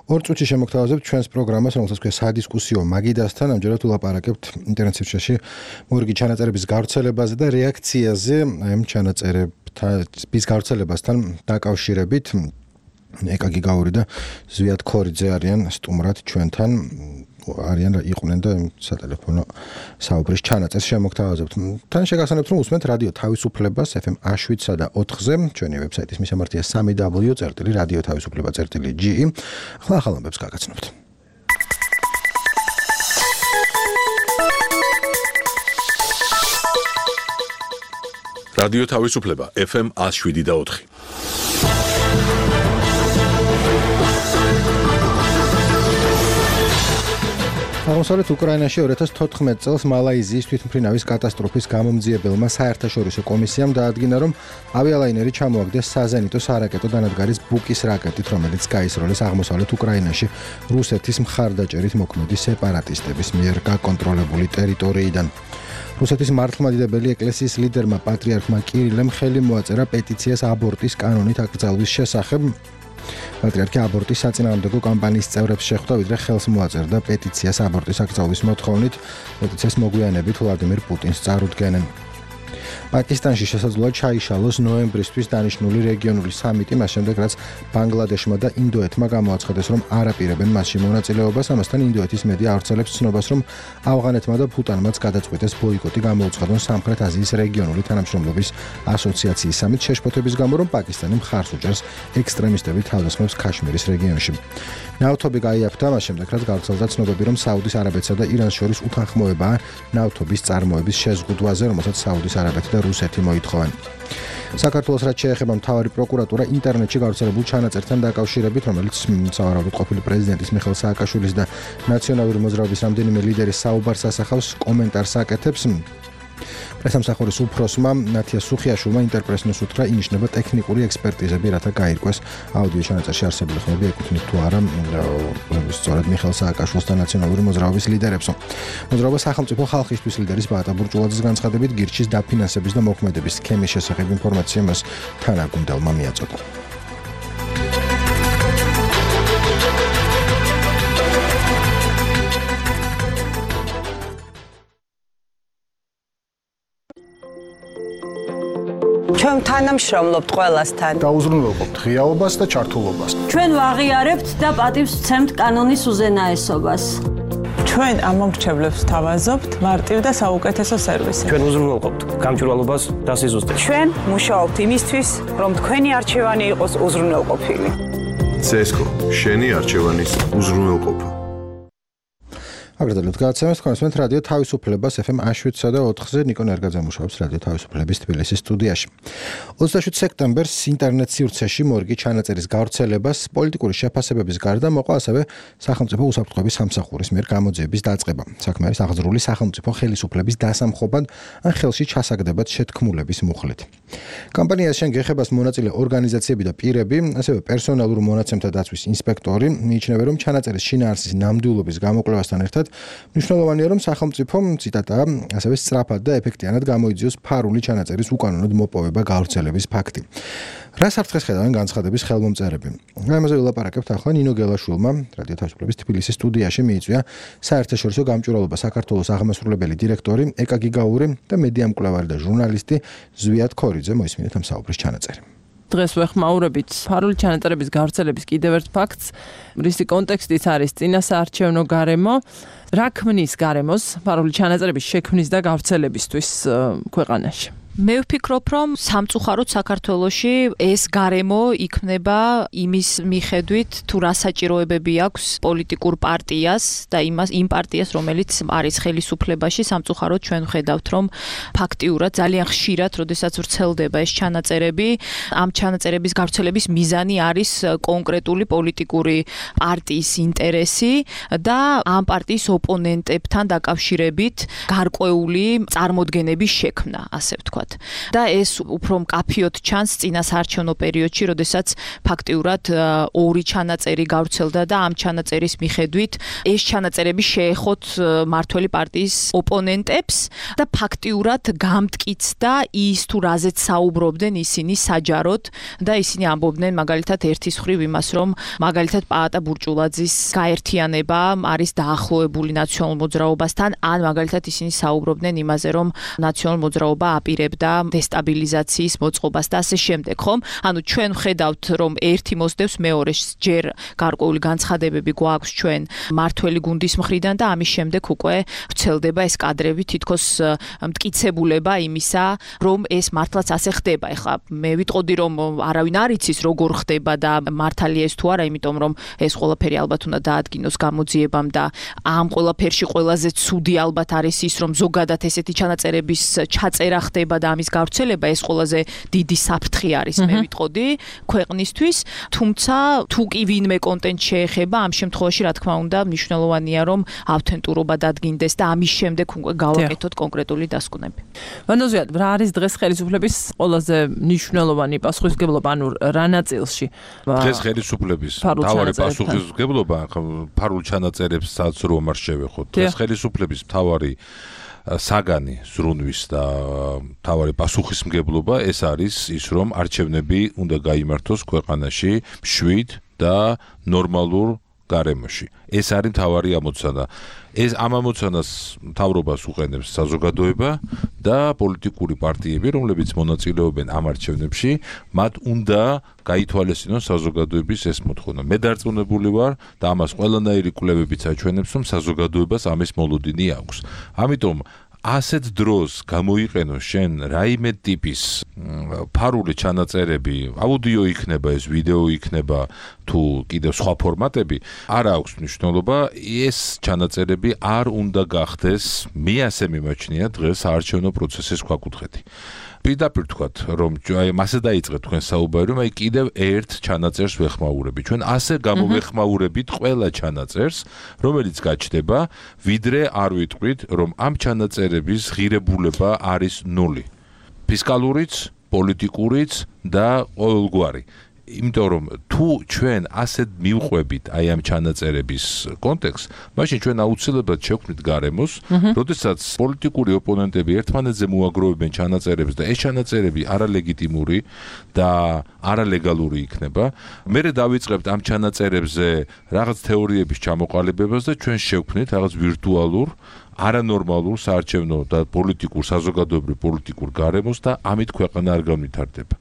2 წუთში შემოგთავაზებთ ჩვენს პროგრამას, რომელსაც ქვია სადისკუსიო მაგიდასთან. ამჯერად ვლაპარაკებთ ინტერნეტ სივრცეში მორიგი ჩანაწერების გავრცელებაზე და რეაქციაზე ამ ჩანაწერებთან. bis გავრცელებასთან დაკავშირებით ეკაგი გაური და ზვიად ქორიძე არიან სტუმრად ჩვენთან არიან იყვნენ და სატელეფონო საუბრის ჩანაწერს შემოგთავაზებთ. თან შეგახსენებთ რომ უსმენთ რადიო თავისუფლებას FM 7-სა და 4-ზე, ჩვენი ვებსაიტის მისამართია www.radiotavisufleba.ge. ახლა ამბებს გაგაცნობთ. რადიო თავისუფლება FM 7 და 4. აღმოსავლეთ უკრაინაში 2014 წელს მალაიზიის თვითმფრინავის კატასტროფის გამომძიებელმა საერთაშორისო კომისიამ დაადგინა, რომ ავიალაინერი ჩამოაგდეს საზენიტო სარაკეტო დანადგარის ბუკის რაკეტით, რომელიც გაისროლეს აღმოსავლეთ უკრაინაში რუსეთის მხარდაჭერით მოქმედი სეპარატისტების მიერ გაკონტროლებული ტერიტორიიდან. რუსეთის მართლმადიდებელი ეკლესიის ლიდერმა პატრიარქმა კირილემ ხელი მოაწერა პეტიციას აბორტის კანონით აკრძალვის შესახებ. პატრიარქი აბორტის საწინააღმდეგო კამპანიის წევრებს შეხვდა, ვიდრე ხელს მოაწერდა პეტიციას აბორტის აკრძალვის მოთხოვნით. პეტიციას მოგვიანებით ვლადიმირ პუტინს წარუდგენენ. პაკისტანში შესაძლოა ჩაიშალოს ნოემბრისთვის დანიშნული რეგიონული სამიტი, მას შემდეგ რაც ბანგლადეშმა და ინდოეთმა გამოაცხადეს, რომ არ აპირებენ მასში მონაწილეობას. ამასთან ინდოეთის მედია ავრცელებს ცნობას, რომ ავღანეთმა და ბჰუტანმაც გადაწყვიტეს ბოიკოტი გამოუცხადონ სამხრეთ აზიის რეგიონული თანამშრომლობის ასოციაციის სამით შეშფოთების გამო, რომ პაკისტანი მხარს უჭერს ექსტრემისტების თავდასხმებს ქაშმირის რეგიონში. ნავთობი გაიაფთა მას შემდეგ, რაც გავრცელდა ცნობები, რომ საუდის არაბეთსა და ირანს შორის უთანხმოებაა ნავთობის წარმოების შეზღუდვაზე, რომელსაც საუდის არაბეთი და რუსეთი მოითხოვენ. საქართველოს რაც შეეხება მთავარი პროკურატურა ინტერნეტში გავრცელებულ ჩანაწერთან დაკავშირებით, რომელიც სავარაუდოდ ყოფილი პრეზიდენტის მიხეილ სააკაშვილის და ნაციონალური მოძრაობის რამდენიმე ლიდერის საუბარს ასახავს, კომენტარს აკეთებს. პრესამსახურის უფროსმა ნათია სუხიაშვილმა ინტერპრესნოს უთხრა, ინიშნება ტექნიკური ექსპერტიზები, რათა გაირკვეს აუდიო ჩანაწერში არსებული ხმები ეკუთვნით თუ არა სწორედ მიხეილ სააკაშვილს და ნაციონალური მოძრაობის ლიდერებსო. მოძრაობა სახელმწიფო ხალხისთვის ლიდერის ბაატა ბურჭულაძის განცხადებით გირჩის დაფინანსების და მოქმედების სქემის შესახებ ინფორმაცია მას თანაგუნდელმა მიაწოდა. ჩვენ თანამშრომლობთ ყველასთან. დაუზრუნველყოფთ ღიაობას და ჩართულობას. ჩვენ ვაღიარებთ და პატივს ვცემთ კანონის უზენაესობას. ჩვენ ამომრჩევლებს ვთავაზობთ მარტივ და საუკეთესო სერვისი. ჩვენ უზრუნველყოფთ გამჭვირვალობას და სიზუსტეს. ჩვენ მუშაობთ იმისთვის, რომ თქვენი არჩევანი იყოს უზრუნველყოფილი. CSGO შენი არჩევანის უზრუნველყოფა. აგრეთვე გაცემეს კონსვენთ რადიო თავისუფლებას FM 7-სა და 4-ზე ნიკო ნერგაძე მუშაობს რადიო თავისუფლების თბილისის სტუდიაში. 27 სექტემბერს ინტერნეტ სივრცეში მორგი ჩანაწერის გავრცელებას პოლიტიკური შეფასებების გარდა მოყვა ასევე სახელმწიფო უსაფრთხოების სამსახურის მიერ გამოძიების დაწყება. საქმე არის აღძრული სახელმწიფო ხელისუფლების დასამხობად ან ხელში ჩასაგდებად შეთქმულების მუხლით. კამპანიას შენ გეხებას მონაწილე ორგანიზაციები და პირები, ასევე პერსონალურ მონაცემთა დაცვის ინსპექტორი მიიჩნევენ, რომ ჩანაწერის შინაარსის ნამდვილობის გამოკვლევასთან ერთად მნიშვნელოვანია, რომ სახელმწიფო ციტატა ასევე სწრაფად და ეფექტიანად გამოიძიოს ფარული ჩანაწერის უკანონოდ მოპოვება გავრცელების ფაქტი. რა საფრთხეს ხედავენ განცხადების ხელმომწერები? ამაზე ვილაპარაკებთ ახლა ნინო გელაშვილმა, რადიო თავისუფლების თბილისის სტუდიაში მიიწვია საერთაშორისო გამჭვირვალობა საქართველოს აღმასრულებელი დირექტორი ეკაგი გაური და მედია მკვლევარი და ჟურნალისტი ზვიად ქორიძე. მოისმინეთ ამ საუბრის ჩანაწერი. დღეს ვეხმაურებით ფარული ჩანაწერების გავრცელების კიდევ ერთ ფაქტს, რისი კონტექსტიც არის წინასაარჩევნო გარემო, რა ქმნის გარემოს ფარული ჩანაწერების შექმნის და გავრცელებისთვის ქვეყანაში. მე ვფიქრობ, რომ სამწუხაროდ საქართველოში ეს გარემო იქნება იმის მიხედვით, თუ რა საჭიროებები აქვს პოლიტიკურ პარტიას და იმ პარტიას, რომელიც არის ხელისუფლებაში. სამწუხაროდ ჩვენ ვხედავთ, რომ ფაქტიურად ძალიან ხშირად, როდესაც ვრცელდება ეს ჩანაწერები, ამ ჩანაწერების გავრცელების მიზანი არის კონკრეტული პოლიტიკური პარტიის ინტერესი და ამ პარტიის ოპონენტებთან დაკავშირებით გარკვეული წარმოდგენების შექმნა, ასე ვთქვათ. და ეს უფრო მკაფიოდ ჩანს წინასაარჩევნო პერიოდში, როდესაც ფაქტიურად ორი ჩანაწერი გავრცელდა და ამ ჩანაწერის მიხედვით ეს ჩანაწერები შეეხოთ მართველი პარტიის ოპონენტებს და ფაქტიურად გამტკიცდა ის თუ რაზეც საუბრობდნენ ისინი საჯაროდ და ისინი ამბობდნენ მაგალითად ერთის მხრივ იმას, რომ მაგალითად პაატა ბურჭულაძის გაერთიანება არის დაახლოებული ნაციონალურ მოძრაობასთან, ან მაგალითად ისინი საუბრობდნენ იმაზე, რომ ნაციონალურ მოძრაობა აპირებდა დესტაბილიზაციის მოწყობას და ასე შემდეგ, ხომ? ანუ ჩვენ ვხედავთ, რომ ერთი მოსდევს მეორეს, ჯერ გარკვეული განცხადებები გვაქვს ჩვენ მართველი გუნდის მხრიდან და ამის შემდეგ უკვე ვრცელდება ეს კადრები, თითქოს მტკიცებულება იმისა, რომ ეს მართლაც ასე ხდება. ეხლა მე ვიტყოდი, რომ არავინ არ იცის როგორ ხდება და მართალია ეს თუ არა, იმიტომ რომ ეს ყველაფერი ალბათ უნდა დაადგინოს გამოძიებამ და ამ ყველაფერში ყველაზე ცუდი ალბათ არის ის, რომ ზოგადად ესეთი ჩანაწერების ჩაწერა ხდება და ამის გავრცელება ეს ყველაზე დიდი საფრთხე არის, მე ვიტყოდი ქვეყნისთვის, თუმცა თუ კი ვინმე კონტენტ შეეხება, ამ შემთხვევაში რა თქმა უნდა მნიშვნელოვანია, რომ ავთენტურობა დადგინდეს და ამის შემდეგ უკვე გავაკეთოთ კონკრეტული დასკვნები. ვანდოზიად, რა არის დღეს ხელისუფლების ყველაზე მნიშვნელოვანი პასუხისმგებლობა, ანუ რა ნაწილში? დღეს ხელისუფლების მთავარი პასუხისმგებლობა ფარულ ჩანაწერებსაც რომ არ შევეხოთ. დღეს ხელისუფლების მთავარი საგანი ზრუნვის და მთავარი პასუხისმგებლობა ეს არის ის, რომ არჩევნები უნდა გაიმართოს ქვეყანაში მშვიდ და ნორმალურ გარემოში. ეს არის მთავარი ამოცანა. ეს ამ ამოცანას მთავრობას უყენებს საზოგადოება და პოლიტიკური პარტიები, რომლებიც მონაწილეობენ ამ არჩევნებში, მათ უნდა გაითვალისწინოს საზოგადოების ეს მოთხოვნა. მე დარწმუნებული ვარ და ამას ყველანაირი კვლევებიც აჩვენებს, რომ საზოგადოებას ამის მოლოდინი აქვს. ამიტომ ასეთ დროს გამოიყენო შენ რაიმე ტიპის ფარული ჩანაწერები, აუდიო იქნება ეს, ვიდეო იქნება თუ კიდევ სხვა ფორმატები, არ აქვს მნიშვნელობა, ეს ჩანაწერები არ უნდა გახდეს, მე ასე მიმაჩნია დღეს საარჩევნო პროცესის ქვაკუთხედი. პირდაპირ თქვათ, რომ აი მასე დაიწყეთ თქვენ საუბარი, რომ აი კიდევ ერთ ჩანაწერს ვეხმაურები. ჩვენ ასე გამოვეხმაურებით ყველა ჩანაწერს, რომელიც გაჩნდება, ვიდრე არ ვიტყვით, რომ ამ ჩანაწერების ღირებულება არის 0. ფისკალურიც, პოლიტიკურიც და ყოველგვარი. იმიტომ რომ თუ ჩვენ ასეთ მივყვებით აი ამ ჩანაწერების კონტექსტს, მაშინ ჩვენ აუცილებლად შევქმნით გარემოს, როდესაც პოლიტიკური ოპონენტები ერთმანეთზე მოაგროვებენ ჩანაწერებს და ეს ჩანაწერები არალეგიტიმური და არალეგალური იქნება, მერე დავიწყებთ ამ ჩანაწერებზე რაღაც თეორიების ჩამოყალიბებას და ჩვენ შევქმნით რაღაც ვირტუალურ არანორმალურ საარჩევნო და პოლიტიკურ საზოგადოებრივ პოლიტიკურ გარემოს და ამით ქვეყანა არ განვითარდება.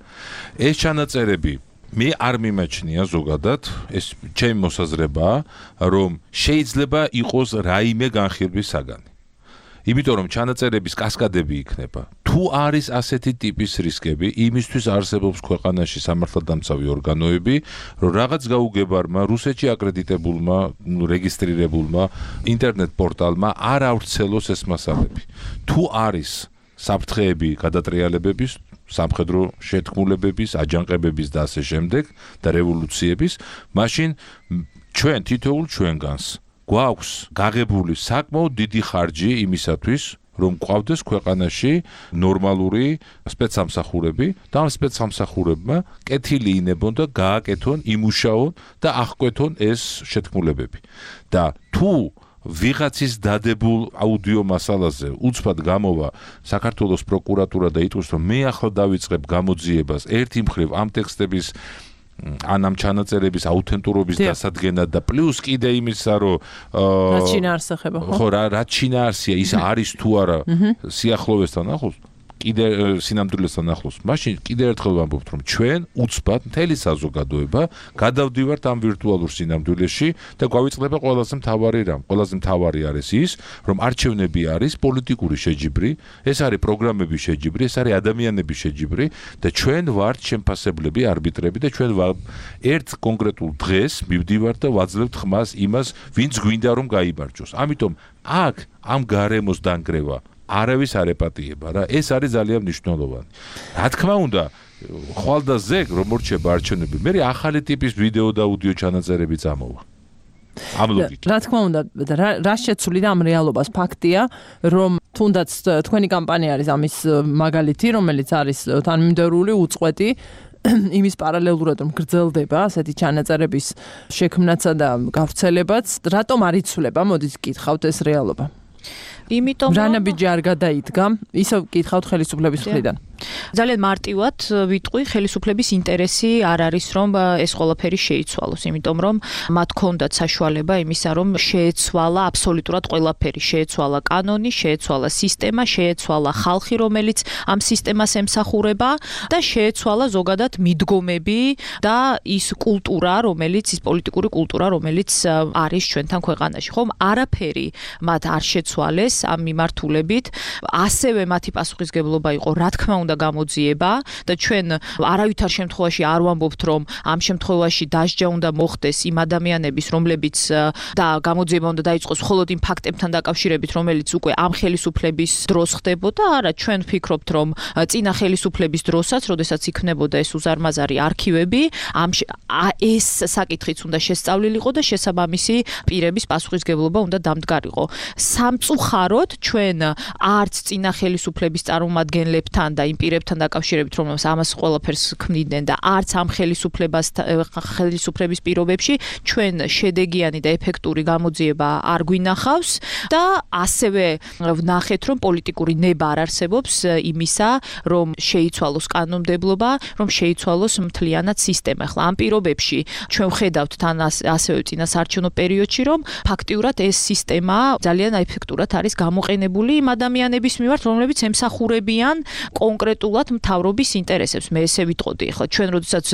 ეს ჩანაწერები მე არ მიმაჩნია ზოგადად, ეს ჩემი მოსაზრებაა, რომ შეიძლება იყოს რაიმე განხილვის საგანი. იმიტომ რომ ჩანაწერების კასკადები იქნება. თუ არის ასეთი ტიპის რისკები, იმისთვის არსებობს ქვეყანაში სამართალდამცავი ორგანოები, რომ რაღაც გაუგებარმა, რუსეთში აკრედიტებულმა, რეგისტრირებულმა ინტერნეტ პორტალმა არ ავრცელოს ეს მასალები. თუ არის საფრთხეები გადატრიალებების, სამხედრო შეთქმულებების, აჯანყებების და ასე შემდეგ და რევოლუციების, მაშინ ჩვენ თითოეულ ჩვენგანს გვაქვს გაღებული საკმაოდ დიდი ხარჯი იმისათვის, რომ გვყავდეს ქვეყანაში ნორმალური სპეცსამსახურები და ამ სპეცსამსახურებმა კეთილი ინებონ და გააკეთონ, იმუშაონ და აღკვეთონ ეს შეთქმულებები. და თუ ვიღაცის დადებულ აუდიო მასალაზე უცბად გამოვა საქართველოს პროკურატურა და იტყვის, რომ მე ახლა დავიწყებ გამოძიებას ერთი მხრივ ამ ტექსტების ან ამ ჩანაწერების აუთენტურობის დასადგენად და პლუს კიდე იმისა, რომ რაც შინაარსახება, ხო, რაც შინაარსია, ის არის თუ არა სიახლოვესთან ახლოს, კიდე სინამდვილესთან ახლოს. მაშინ კიდე ერთხელ ვამბობთ, რომ ჩვენ უცბად მთელი საზოგადოება გადავდივართ ამ ვირტუალურ სინამდვილეში და გვავიწყდება ყველაზე მთავარი რამ. ყველაზე მთავარი არის ის, რომ არჩევნები არის პოლიტიკური შეჯიბრი, ეს არის პროგრამების შეჯიბრი, ეს არის ადამიანების შეჯიბრი და ჩვენ ვართ შემფასებლები, არბიტრები და ჩვენ ერთ კონკრეტულ დღეს მივდივართ და ვაძლევთ ხმას იმას, ვინც გვინდა რომ გაიმარჯვოს. ამიტომ აქ ამ გარემოს დანგრევა არავის არ ეპატიება რა, ეს არის ძალიან მნიშვნელოვანი. რა თქმა უნდა, ხვალ და ზეგ რომ მორჩება არჩევნები, მე ახალი ტიპის ვიდეო და აუდიო ჩანაწერები წამოვა. ამ ლოგიკით. რა თქმა უნდა, რა შეცვლი და ამ რეალობას ფაქტია, რომ თუნდაც თქვენი კამპანია არის ამის მაგალითი, რომელიც არის თანმიმდევრული, უწყვეტი, იმის პარალელურად რომ გრძელდება ასეთი ჩანაწერების შექმნაცა და გავრცელებაც, რატომ არ იცვლება? მოდით გითხავთ ეს რეალობა. იმიტომ რანაბიჯი არ გადაიდგა, ისევ გითხავთ ხელისუფლების მხრიდან. ძალიან მარტივად ვიტყვი, ხელისუფლების ინტერესი არ არის, რომ ეს ყველაფერი შეიცვალოს, იმიტომ რომ მათ ჰქონდათ საშუალება იმისა, რომ შეეცვალა აბსოლუტურად ყველაფერი, შეეცვალა კანონი, შეეცვალა სისტემა, შეეცვალა ხალხი, რომელიც ამ სისტემას ემსახურება და შეეცვალა ზოგადად მიდგომები და ის კულტურა, ის პოლიტიკური კულტურა, რომელიც არის ჩვენთან ქვეყანაში, ხომ? არაფერი მათ არ შეცვალეს ამ მიმართულებით. ასევე მათი პასუხისგებლობა იყო, რა თქმა უნდა, გამოძიება და ჩვენ არავითარ შემთხვევაში არ ვამბობთ, რომ ამ შემთხვევაში დასჯა უნდა მოხდეს იმ ადამიანების, რომლებიც და გამოძიება უნდა დაიწყოს მხოლოდ იმ ფაქტებთან დაკავშირებით, რომელიც უკვე ამ ხელისუფლების დროს ხდებოდა. არა, ჩვენ ვფიქრობთ, რომ წინა ხელისუფლების დროსაც, როდესაც იქნებოდა ეს უზარმაზარი არქივები, ეს საკითხიც უნდა შესწავლილიყო და შესაბამისი პირების პასუხისგებლობა უნდა დამდგარიყო. სამწუხაროდ ჩვენ არც წინა ხელისუფლების წარმომადგენლებთან და იმ პირებთან დაკავშირებით, რომელსაც ამას ყველაფერს ქმნიდნენ და არც ამ ხელისუფლების პირობებში ჩვენ შედეგიანი და ეფექტური გამოძიება არ გვინახავს და ასევე ვნახეთ, რომ პოლიტიკური ნება არ არსებობს იმისა, რომ შეიცვალოს კანონმდებლობა, რომ შეიცვალოს მთლიანად სისტემა. ახლა ამ პირობებში ჩვენ ვხედავთ თან ასევე წინა საარჩევნო პერიოდში, რომ ფაქტიურად ეს სისტემა ძალიან ეფექტურად არის გამოყენებული იმ ადამიანების მიმართ, რომლებიც ემსახურებიან კონკრეტულად მთავრობის ინტერესებს. მე ესე ვიტყოდი, ახლა ჩვენ როდესაც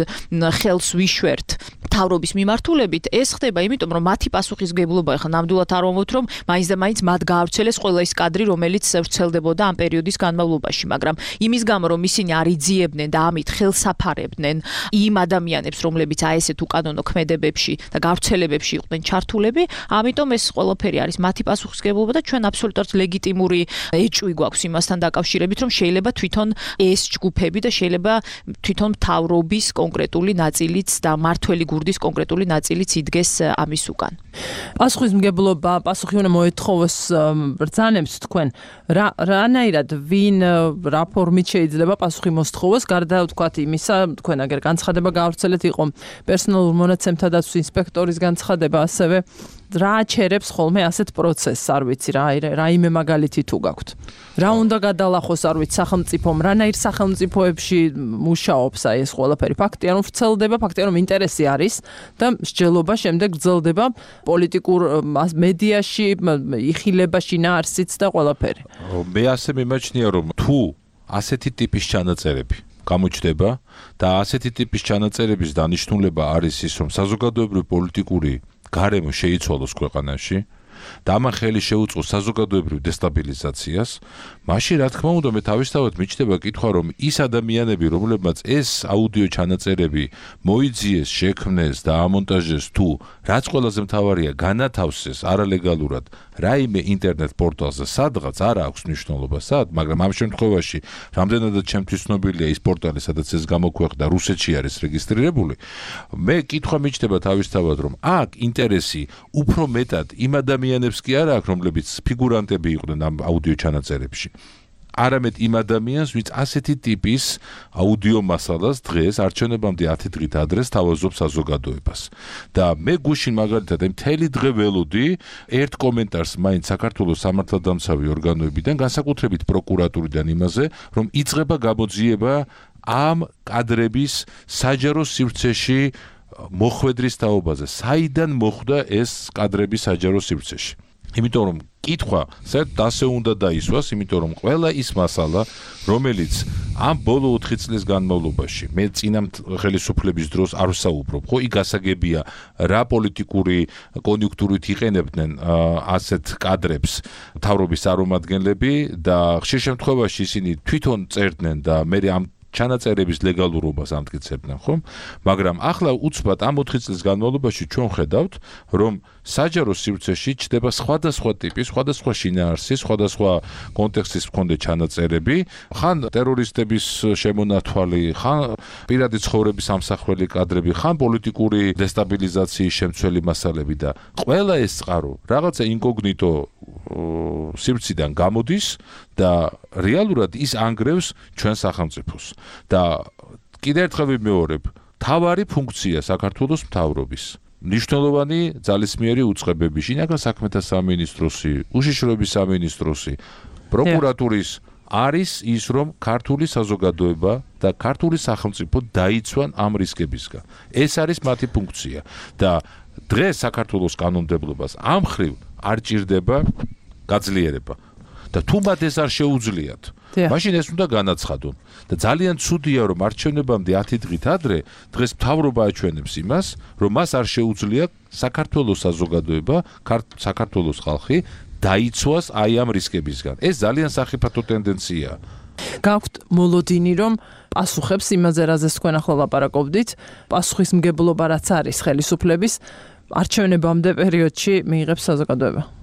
ხელს ვიშვერთ მთავრობის მიმართულებით, ეს ხდება იმიტომ, რომ მათი პასუხისგებლობა, ახლა ნამდვილად არ ვამბობთ, რომ მაინც და მაინც მათ გაავრცელეს ყველა ის კადრი, რომელიც ვრცელდებოდა ამ პერიოდის განმავლობაში, მაგრამ იმის გამო, რომ ისინი არ იძიებდნენ და ამით ხელსაფარებდნენ იმ ადამიანებს, რომლებიც აი ესეთ უკანონო ქმედებებში და გავრცელებებში იყვნენ ჩართულები, ამიტომ ეს ყველაფერი არის მათი პასუხისგებლობა და ჩვენ აბსოლუტურად ლეგიტიმური ეჭვი გვაქვს იმასთან დაკავშირებით, რომ შეიძლება თვითონ ეს ჯგუფები და შეიძლება თვითონ მთავრობის კონკრეტული ნაწილიც და მართველი გურდის კონკრეტული ნაწილიც იდგეს ამის უკან. პასუხისმგებლობა, პასუხი უნდა მოეთხოვოს ბრძანებს თქვენ. რანაირად ვინ რა ფორმით შეიძლება პასუხი მოსთხოვოს, გარდა ვთქვათ იმისა, თქვენ აგერ განცხადება გაავრცელეთ იყო პერსონალურ მონაცემთა დაცვის ინსპექტორის განცხადება, ასევე რა აჩერებს ხოლმე ასეთ პროცესს, არ ვიცი, რაიმე მაგალითი თუ გაქვთ. რა უნდა გადალახოს, არ ვიცი, სახელმწიფომ, რანაირ სახელმწიფოებში მუშაობს აი ეს ყველაფერი. ფაქტია, რომ ვრცელდება, ფაქტია, რომ ინტერესი არის და მსჯელობა შემდეგ გრძელდება პოლიტიკურ მედიაში, იხილება შინაარსიც და ყველაფერი. მე ასე მიმაჩნია, რომ თუ ასეთი ტიპის ჩანაწერები გამოჩნდება და ასეთი ტიპის ჩანაწერების დანიშნულება არის ის, რომ საზოგადოებრივი პოლიტიკური გარემო შეიცვალოს ქვეყანაში და ამან ხელი შეუწყოს საზოგადოებრივ დესტაბილიზაციას, მაშინ რა თქმა უნდა მე თავისთავად მიჩნდება კითხვა, რომ ის ადამიანები, რომლებმაც ეს აუდიო ჩანაწერები მოიძიეს, შექმნეს და ამონტაჟეს თუ რაც ყველაზე მთავარია განათავსეს არალეგალურად რაიმე ინტერნეტ პორტალზე სადღაც არ აქვს მნიშვნელობა სად, მაგრამ ამ შემთხვევაში რამდენადაც ჩემთვის ცნობილია ის პორტალი, სადაც ეს გამოქვეყნდა, რუსეთში არის რეგისტრირებული, მე კითხვა მიჩნდება თავისთავად, რომ აქ ინტერესი უფრო მეტად იმ ადამიანებს კი არ აქვს, რომლებიც ფიგურანტები იყვნენ ამ აუდიო ჩანაწერებში. არამედ იმ ადამიანს, ვინც ასეთი ტიპის აუდიო მასალას დღეს არჩევნებამდე 10 დღით ადრე თავაზობს საზოგადოებას. და მე გუშინ მაგალითად მთელი დღე ველოდი ერთ კომენტარს მაინც საქართველოს სამართალდამცავი ორგანოებიდან, განსაკუთრებით პროკურატურიდან იმაზე, რომ იწყება გამოძიება ამ კადრების საჯარო სივრცეში მოხვედრის თაობაზე. საიდან მოხვდა ეს კადრები საჯარო სივრცეში? იმიტომ რომ კითხვა საერთოდ ასე უნდა დაისვას, იმიტომ რომ ყველა ის მასალა, რომელიც ამ ბოლო 4 წლის განმავლობაში მე წინა ხელისუფლების დროს არ ვსაუბრობ, ხო, იქ გასაგებია რა პოლიტიკური კონიუნქტურით იყენებდნენ ასეთ კადრებს მთავრობის წარმომადგენლები და ხშირ შემთხვევაში ისინი თვითონ წერდნენ და მე ამ ჩანაწერების ლეგალურობას ამტკიცებდნენ, ხო? მაგრამ ახლა უცბად ამ 4 წლის განმავლობაში ჩვენ ხედავთ, რომ საჯარო სივრცეში ჩნდება სხვადასხვა ტიპის, სხვადასხვა შინაარსის, სხვადასხვა კონტექსტის მქონე ჩანაწერები, ხან ტერორისტების შემონათვალი, ხან პირადი ცხოვრების ამსახველი კადრები, ხან პოლიტიკური დესტაბილიზაციის შემცველი მასალები და ყველა ეს წყარო რაღაცა ინკოგნიტო სივრციდან გამოდის და რეალურად ის ანგრევს ჩვენ სახელმწიფოს. და კიდევ ერთხელ ვიმეორებ, თავარი ფუნქცია საქართველოს მთავრობის მნიშვნელოვანი ძალისმიერი უწყებები, შინაგან საქმეთა სამინისტროსი, უშიშროების სამინისტროსი, პროკურატურის არის ის, რომ ქართული საზოგადოება და ქართული სახელმწიფო დაიცვან ამ რისკებისგან. ეს არის მათი ფუნქცია და დღეს საქართველოს კანონმდებლობას ამ ხრივ არ ჭირდება გაძლიერება და თუ მათ ეს არ შეუძლიათ, მაშინ ეს უნდა განაცხადონ. და ძალიან ცუდია, რომ არჩევნებამდე 10 დღით ადრე დღეს მთავრობა აჩვენებს იმას, რომ მას არ შეუძლია საქართველოს საზოგადოება, საქართველოს ხალხი დაიცვას აი ამ რისკებისგან. ეს ძალიან სახიფათო ტენდენციაა. გაქვთ მოლოდინი, რომ პასუხებს იმაზე, რაზეც თქვენ ახლა ლაპარაკობდით, პასუხისმგებლობა რაც არის ხელისუფლების არჩევნებამდე პერიოდში მიიღებს საზოგადოება.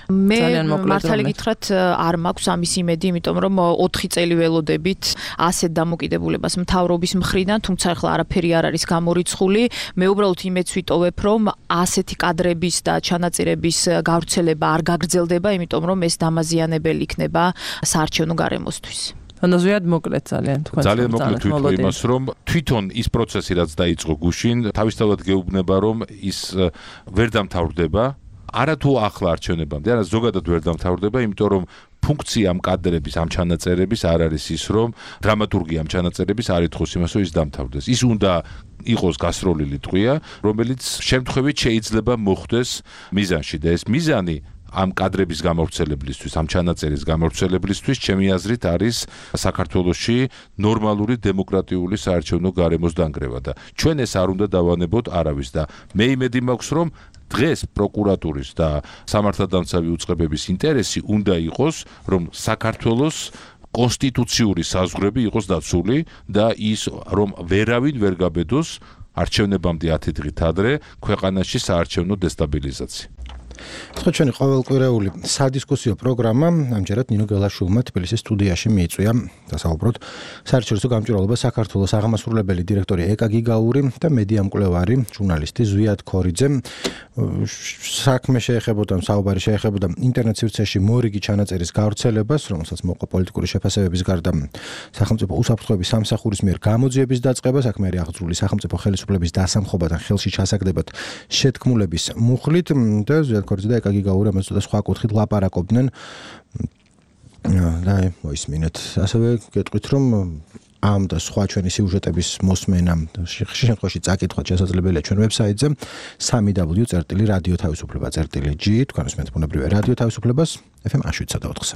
მე მართალი გითხრათ არ მაქვს ამის იმედი, იმიტომ რომ 4 წელი ველოდებით ასეთ დამოკიდებულებას მთავრობის მხრიდან, თუმცა ახლა არაფერი არ არის გამორიცხული. მე უბრალოდ იმედს ვიტოვებ, რომ ასეთი კადრების და ჩანაწირების გავრცელება არ გაგრძელდება, იმიტომ რომ ეს დამაზიანებელი იქნება საარჩევნო გარემოსთვის. ანაზვიად მოკლედ ძალიან თქვენ. ძალიან მოკლედ ვიტყვი იმას, რომ თვითონ ის პროცესი რაც დაიწყო გუშინ, თავისთავად გეუბნება, რომ ის ვერ დამთავრდება. არა თუ ახლა არჩევნებამდე, არა ზოგადად ვერ დამთავრდება, იმიტომ რომ ფუნქცია ამ კადრების, ამ ჩანაწერების არ არის ის, რომ დრამატურგია ამ ჩანაწერების არ ითხოვს იმას, რომ ის დამთავრდეს. ის უნდა იყოს გასროლილი ტყვია, რომელიც შემთხვევით შეიძლება მოხდეს მიზანში და ეს მიზანი ამ კადრების გამავრცელებლისთვის, ამ ჩანაწერის გამავრცელებლისთვის, ჩემი აზრით არის საქართველოში ნორმალური დემოკრატიული საარჩევნო გარემოს დანგრევა და ჩვენ ეს არ უნდა დავანებოთ არავის და მე იმედი მაქვს, რომ დღეს პროკურატურის და სამართალდამცავი უწყებების ინტერესი უნდა იყოს, რომ საქართველოს კონსტიტუციური საზღვრები იყოს დაცული და ის რომ ვერავინ ვერ გაბედოს არჩევნებამდე 10 დღით ადრე ქვეყანაში საარჩევნო დესტაბილიზაცია. ხო, ჩვენი ყოველკვირეული სადისკუსიო პროგრამა ამჯერად ნინო გელაშვილმა თბილისის სტუდიაში მიიწვია დასაუბროთ საერთაშორისო გამჭვირვალობა საქართველოს აღმასრულებელი დირექტორი ეკა გიგაური და მედია მკვლევარი ჟურნალისტი ზვიად ქორიძე. საქმე შეეხებოდა, საუბარი შეეხებოდა ინტერნეტ სივრცეში მორიგი ჩანაწერის გავრცელებას, რომელსაც მოყვა პოლიტიკური შეფასებების გარდა სახელმწიფო უსაფრთხოების სამსახურის მიერ გამოძიების დაწყებას, საქმე არის აღძრული სახელმწიფო ხელისუფლების დასამხობად ხელში ჩასაგდებად შეთქმულების მუხლით და ზვიად ქორიძე და ეკა გიგაური ამას და სხვა კუთხით ლაპარაკობდნენ. და მოისმინეთ. ასევე გეტყვით, რომ ამ და სხვა ჩვენი სიუჟეტების მოსმენა შემთხვევაში წაკითხვა შესაძლებელია ჩვენ ვებსაიტზე www.radioთავისუფლება.g თქვენ უსმენთ ბუნებრივია რადიო თავისუფლებას FM 107.4-ზე.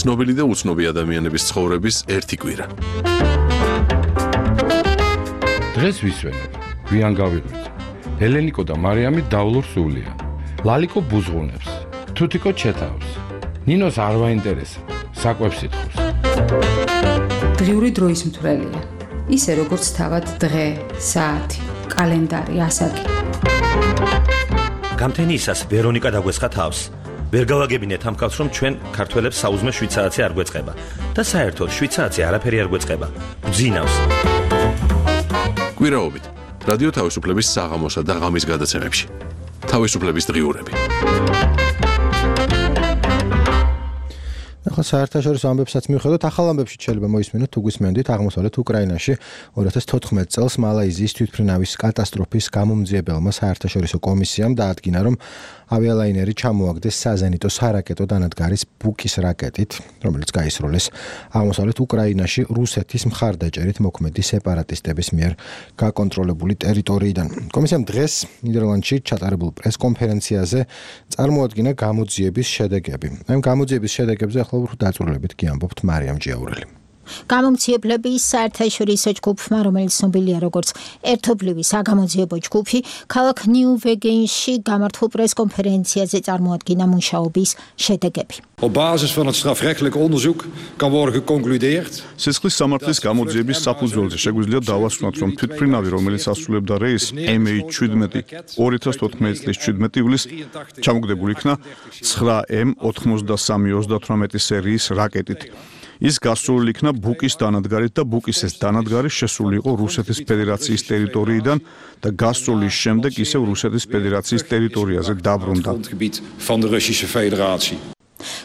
ცნობილი და უცნობი ადამიანების ცხოვრების ერთი კვირა. დღეს ვისვენებ, გვიან გავიღვიძ. ელენიკო და მარიამი დავლურ სულიან. ლალიკო ბუზღუნებს, თუთიკო ჩეთავს. ნინოს არ ვაინტერესებს, საკვებს ითხოვს. დღიური დროის მთვრელია. ისე როგორც თავად დღე, საათი, კალენდარი, ასაკი. გამთენიისას ვერონიკა დაგვესხა თავს. ვერ გავაგებინეთ ამ კაცს, რომ ჩვენ ქართველებს საუზმე 7 საათი არ გვეწყება და საერთოდ 7 საათი არაფერი არ გვეწყება. გძინავს. კვირაობით რადიო თავისუფლების საღამოსა და ღამის გადაცემებში. თავისუფლების დღიურები. ახლა საერთაშორისო ამბებსაც მივხვდეთ, ახალ ამბებში შეიძლება მოისმინოთ თუ გვისმენდით აღმოსავლეთ უკრაინაში 2014 წელს მალაიზიის თვითმფრინავის კატასტროფის გამომძიებელმა საერთაშორისო კომისიამ დაადგინა, რომ ავიალაინერი ჩამოაგდეს საზენიტო სარაკეტო დანადგარის ბუკის რაკეტით, რომელიც გაისროლეს აღმოსავლეთ უკრაინაში რუსეთის მხარდაჭერით მოქმედი სეპარატისტების მიერ გაკონტროლებული ტერიტორიიდან. კომისიამ დღეს ნიდერლანდში ჩატარებულ პრესკონფერენციაზე წარმოადგინა გამოძიების შედეგები. ამ გამოძიების შედეგებზე ახლა დაწვრილებით კი ამბობთ მარიამ ჯიაურელი. გამომძიებლების საერთაშორისო ჯგუფმა, რომელიც ცნობილია როგორც ერთობლივი საგამოძიებო ჯგუფი, ქალაქ ნიუ-ვეგენში გამართულ პრესკონფერენციაზე წარმოადგინა მუშაობის შედეგები. Op basis van het strafrechtelijk onderzoek kan worden geconcludeerd. სისხლის სამართლის გამოძიების საფუძველზე შეგვიძლია დავასვანოთ, რომ თვითმფრინავი, რომელიც ასრულებდა რეისს MH17 2014 წლის 17 ივლისს, ჩამოგდებული იქნა 9M93-38 სერიის რაკეტით. ის გასროლილი იქნა ბუკის დანადგარით და ბუკის ეს დანადგარი შესული იყო რუსეთის ფედერაციის ტერიტორიიდან და გასროლის შემდეგ ისევ რუსეთის ფედერაციის ტერიტორიაზე დაბრუნდა.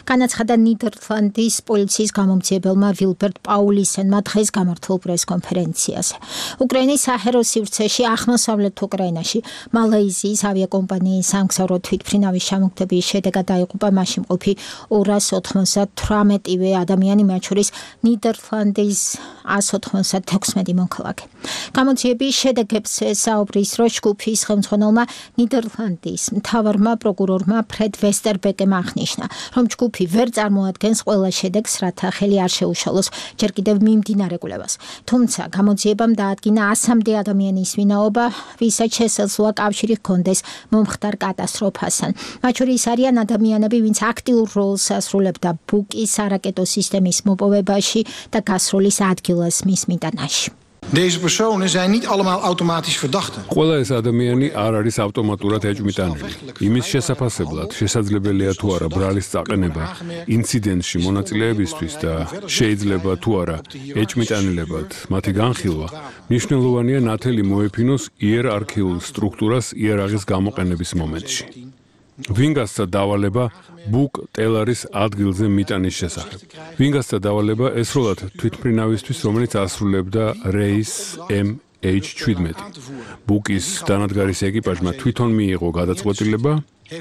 განაცხადა ნიდერლანდის პოლიციის გამომძიებელმა ვილბერტ პაულისენმა დღეს გამართულ პრესკონფერენციაზე. უკრაინის საჰერო სივრცეში აღმოსავლეთ უკრაინაში მალაიზიის ავიაკომპანიის სამგზავრო თვითმფრინავის ჩამოგდების შედეგად დაიღუპა მასში მყოფი 298-ვე ადამიანი, მათ შორის ნიდერლანდის 196 მოქალაქე. გამოძიების შედეგებს საუბრის დროს ჯგუფის ხელმძღვანელმა ნიდერლანდის მთავარმა პროკურორმა ფრედ ვესტერბეკემ აღნიშნა, რომ ჯგუფი ვერ წარმოადგენს ყველა შედეგს, რათა ხელი არ შეუშალოს ჯერ კიდევ მიმდინარე კვლევას. თუმცა გამოძიებამ დაადგინა 100-მდე ადამიანის ვინაობა, ვისაც შესაძლოა კავშირი ჰქონდეს მომხდარ კატასტროფასთან. მათ შორის არიან ადამიანები, ვინც აქტიურ როლს ასრულებდა ბუკის არაკეტო სისტემის მოპოვებაში და გასროლის ადგილას მის მიტანაში. Deze personen zijn niet allemaal automatisch verdachten. ყველა ეს ადამიანი არ არის ავტომატურად ეჭვმიტანილი. იმის შესაფასებლად შესაძლებელია თუ არა ბრალის წაყენება ინციდენტში მონაწილეებისთვის და შეიძლება თუ არა ეჭვმიტანილებად მათი განხილვა, მნიშვნელოვანია ნათელი მოეფინოს იერარქიულ სტრუქტურას იარაღის გამოყენების მომენტში. ვინ გასცა დავალება ბუკ ტელარის ადგილზე მიტანის შესახებ. ვინ გასცა დავალება ესროლად თვითმფრინავისთვის, რომელიც ასრულებდა რეის MH17. ბუკის დანადგარის ეკიპაჟმა თვითონ მიიღო გადაწყვეტილება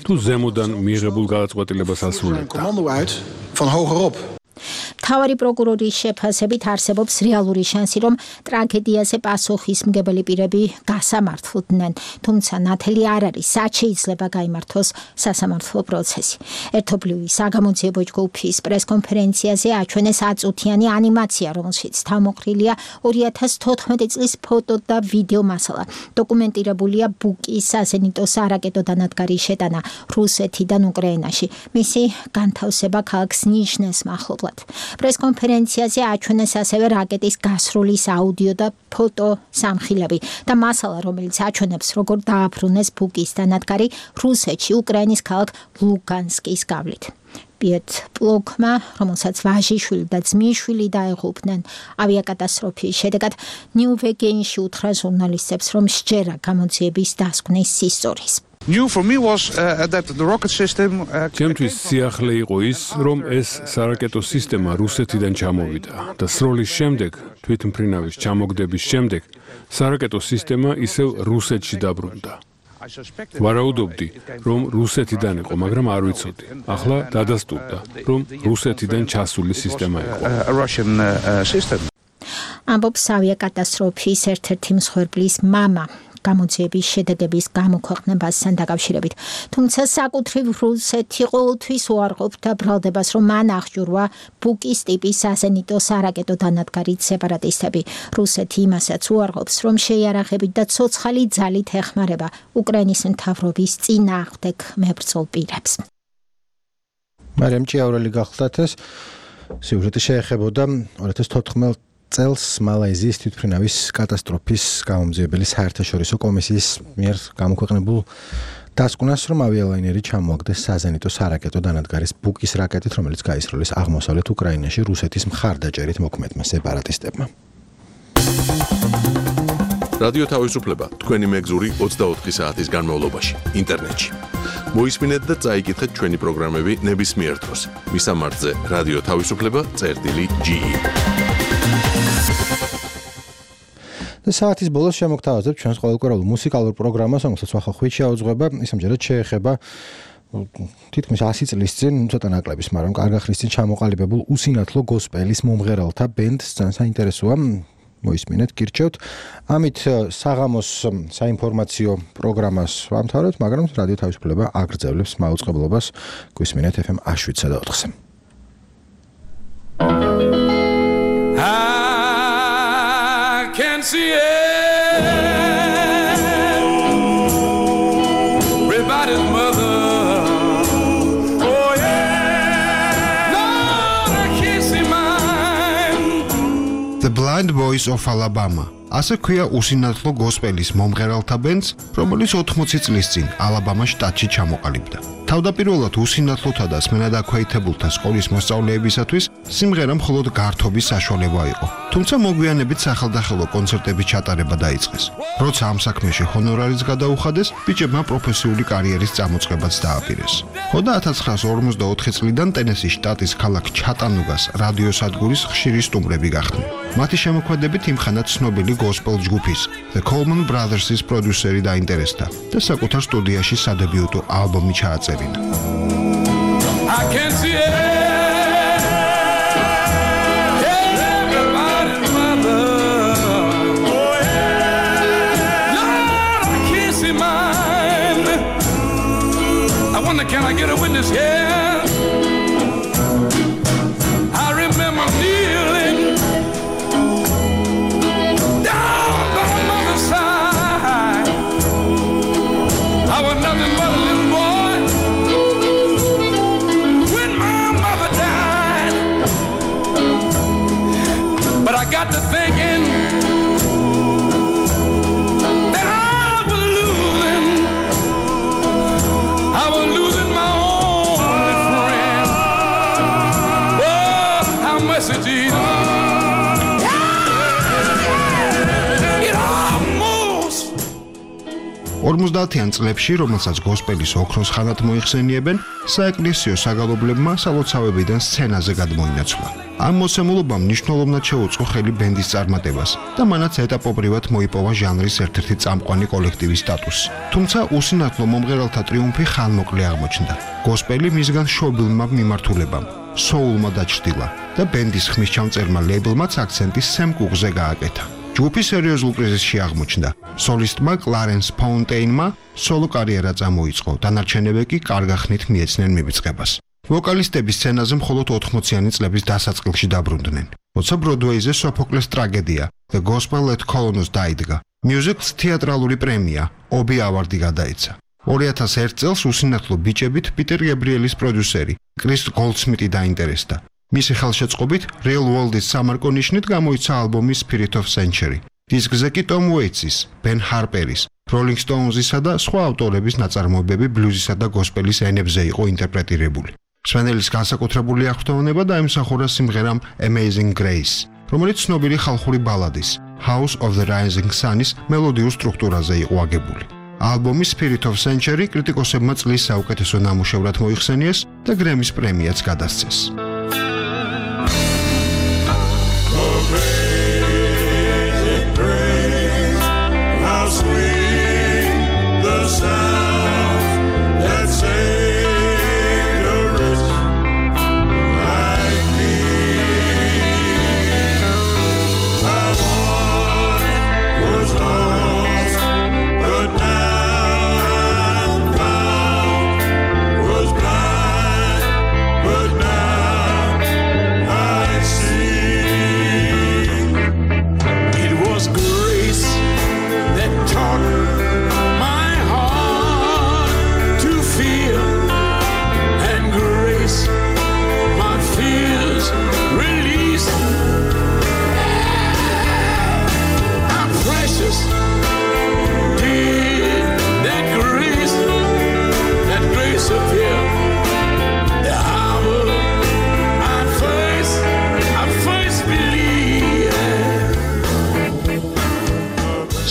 თუ ზემოდან მიიღებულ გადაწყვეტილებას ასრულებდა. მთავარი პროკურორის შეფასებით არსებობს რეალური შანსი, რომ ტრაგედიაზე პასუხისმგებელი პირები გასამართლდნენ, თუმცა ნათელი არ არის, სად შეიძლება გაიმართოს სასამართლო პროცესი. ერთობლივი საგამოძიებო ჯგუფის პრესკონფერენციაზე აჩვენეს აწუთიანი ანიმაცია, რომელშიც თავმოყრილია 2014 წლის ფოტო და ვიდეო მასალა. დოკუმენტირებულია ბუკის საზენიტო სარაკეტო დანადგარის შეტანა რუსეთიდან უკრაინაში. მისი განთავსება ქალაქ სნიჟნეს მახლობლად. პრესკონფერენციაზე აჩვენეს ასევე რაკეტის გასროლის აუდიო და ფოტო სამხილები და მასალა, რომელიც აჩვენებს, როგორ დააბრუნეს ბუკის დანადგარი რუსეთში, უკრაინის ქალაქ ლუგანსკის გავლით. პიეტ პლოკმა, რომელსაც ვაჟიშვილი და ძმისშვილი დაიღუპნენ ავიაკატასტროფის შედეგად, ნიუ-ვეგენში უთხრა ჟურნალისტებს, რომ სჯერა გამოძიების დასკვნის ისტორიის. New for me was that the rocket system ჩემთვის სიახლე იყო ის, რომ ეს სარაკეტო სისტემა რუსეთიდან ჩამოვიდა და სროლის შემდეგ, თვითმფრინავის ჩამოგდების შემდეგ, სარაკეტო სისტემა ისევ რუსეთში დაბრუნდა. ვარაუდობდი, რომ რუსეთიდან იყო, მაგრამ არ ვიცოდი. ახლა დადასტურდა, რომ რუსეთიდან ჩასული სისტემა იყო. ამბობს ავიაკატასტროფის ერთ-ერთი მსხვერპლის მამა. გამოძიების შედეგების გამოქვეყნებასთან დაკავშირებით. თუმცა საკუთრივ რუსეთი ყოველთვის უარყოფდა ბრალდებას, რომ მან აღჭურვა ბუკის ტიპის საზენიტო სარაკეტო დანადგარით სეპარატისტები. რუსეთი იმასაც უარყოფს, რომ შეიარაღებით და ცოცხალი ძალით ეხმარება უკრაინის მთავრობის წინააღმდეგ მებრძოლ პირებს. მარიამ ჭიაურელი გახლდათ ეს სიუჟეტი შეეხებოდა 2014 წელს მალაიზიის თვითმფრინავის კატასტროფის გამომძიებელი საერთაშორისო კომისიის მიერ გამოქვეყნებულ დასკვნას, რომ ავიალაინერი ჩამოაგდეს საზენიტო სარაკეტო დანადგარის ბუკის რაკეტით, რომელიც გაისროლეს აღმოსავლეთ უკრაინაში რუსეთის მხარდაჭერით მოქმედმა სეპარატისტებმა. რადიო თავისუფლება თქვენი მეგზური 24 საათის განმავლობაში ინტერნეტში. მოისმინეთ და წაიკითხეთ ჩვენი პროგრამები ნებისმიერ დროს. მისამართზე რადიო თავისუფლება.ge. საათის ბოლოს შემოგთავაზებთ ჩვენს ყოველკვირეულ მუსიკალურ პროგრამას, რომელსაც ახალ შეაუძღვება, ის ამჯერად შეეხება თითქმის 100 წლის წინ, ცოტა ნაკლების, მაგრამ კარგი ხნის წინ ჩამოყალიბებულ უსინათლო გოსპელის მომღერალთა ბენდს, ძალიან საინტერესოა, მოისმინეთ, გირჩევთ. ამით საღამოს საინფორმაციო პროგრამას ვამთავრებთ, მაგრამ რადიო თავისუფლება აგრძელებს მაუწყებლობას, გვისმინეთ FM 107.4-ზე. Can see everybody's mother. Oh yeah, Lord, I can't see mine. The Blind Boys of Alabama. ასე ქვია უსინათლო გოსპელის მომღერალთა ბენდს, რომელიც 80 წლის წინ ალაბამას შტატში ჩამოყალიბდა. თავდაპირველად უსინათლოთა და სმენადაქვეითებულთა სკოლის მოსწავლეებისათვის სიმღერა მხოლოდ გართობის საშუალება იყო. თუმცა მოგვიანებით სახელდახელო კონცერტების ჩატარება დაიწყეს. როცა ამ საქმეში ჰონორარიც გადაუხადეს, ბიჭებმა პროფესიული კარიერის წამოწყებაც დააპირეს. ხოდა 1954 წლიდან ტენესის შტატის ქალაქ ჩატანუგას რადიოსადგურის ხშირი სტუმრები გახდნენ. მათი შემოქმედებით იმხანად ცნობილი გოსპელ ჯგუფის The Coleman Brothers-ის პროდიუსერი დაინტერესდა და საკუთარ სტუდიაში სადებიუტო ალბომი ჩააწერა. I can see it. Everybody's mother. Oh yeah. Lord, I can't see mine. I wonder, can I get a witness here? I remember kneeling down by my mother's side. I was nothing but a little boy. But I got to thinking that I was losing my only friend. Oh, how much it is. It almost 50-იან წლებში, რომელსაც გოსპელის ოქროს ხანად მოიხსენიებენ, საეკლესიო საგალობლებმა სალოცავებიდან სცენაზე გადმოინაცვლა. ამ მოცემულობამ მნიშვნელოვნად შეუწყო ხელი ბენდის წარმატებას და მანაც ეტაპობრივად მოიპოვა ჟანრის ერთ-ერთი წამყვანი კოლექტივის სტატუსი. თუმცა უსინათლო მომღერალთა ტრიუმფი ხანმოკლე აღმოჩნდა. გოსპელი მისგან შობილმა მიმართულებამ, სოულმა დაჩრდილა და ბენდის ხმისჩამწერმა ლეიბლმაც აქცენტი სემ კუკზე გააკეთა. ჯგუფი სერიოზულ კრიზისში აღმოჩნდა. სოლისტმა კლარენს ფაუნტეინმა სოლო კარიერა წამოიწყო, დანარჩენები კი კარგახნით მიეცნენ მივიწყებას. ვოკალისტები სცენაზე მხოლოდ 80-იანი წლების დასაწყილში დაბრუნდნენ. როცა ბროდვეიზე სოფოკლეს ტრაგედია The Gospel at Colonos დაიდგა, მიუზიკლს თეატრალური პრემია ობი ავარდი გადაეცა. 2001 წელს უსინათლო ბიჭებით პიტერ გებრიელის პროდიუსერი კრის გოლდსმიტი დაინტერესდა. მისი ხელშეწყობით Real World-ის სამარკო ნიშნით გამოიცა ალბომი Spirit of Century. დისკზე კი Tom Waits-ის, Ben Harper-ის, Rolling Stones-ისა და სხვა ავტორების ნაწარმოებები ბლუზისა და გოსპელის ენებზე იყო ინტერპრეტირებული. სვენელის განსაკუთრებული აღფრთოვნება დაიმსახურა სიმღერამ Amazing Grace, რომელიც ცნობილი ხალხური ბალადის House of the Rising Sun-ის მელოდიურ სტრუქტურაზე იყო აგებული. ალბომი Spirit of Century კრიტიკოსებმა წლის საუკეთესო ნამუშევრად მოიხსენიეს და გრემის პრემიაც გადასცეს.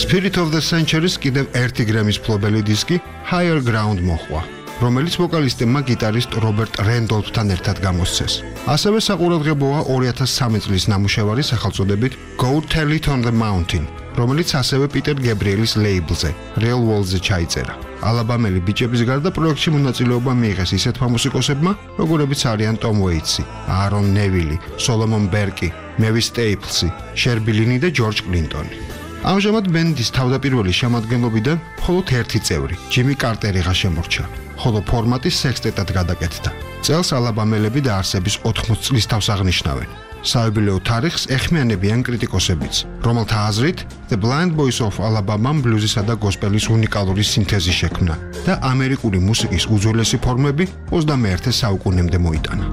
Spirit of the Century-ს კიდევ ერთი გრემის მფლობელი დისკი Higher Ground მოჰყვა, რომელიც ვოკალისტებმა გიტარისტ რობერტ რენდოლფთან ერთად გამოსცეს. ასევე საყურადღებოა 2003 წლის ნამუშევარი სახელწოდებით Go Tell It on the Mountain, რომელიც ასევე პიტერ გებრიელის ლეიბლზე Real World-ზე ჩაიწერა. ალაბამელი ბიჭების გარდა პროექტში მონაწილეობა მიიღეს ისეთმა მუსიკოსებმა, როგორებიც არიან Tom Waits-ი, Aaron Neville, Solomon Burke, Mavis Staples-ი, Sherbilini და George Clinton-ი. ამჟამად ბენდის თავდაპირველი შემადგენლობიდან მხოლოდ ერთი წევრი, ჯიმი კარტერიღა შემორჩა, ხოლო ფორმატი სექსტეტად გადაკეთდა. წელს ალაბამელები დაარსების 80 წლის თავს აღნიშნავენ. საიუბილეო თარიღს ეხმიანებიან კრიტიკოსებიც, რომელთა აზრით The Blind Boys of Alabama ბლუზისა და გოსპელის უნიკალური სინთეზი შექმნა და ამერიკული მუსიკის უძველესი ფორმები 21 საუკუნემდე მოიტანა.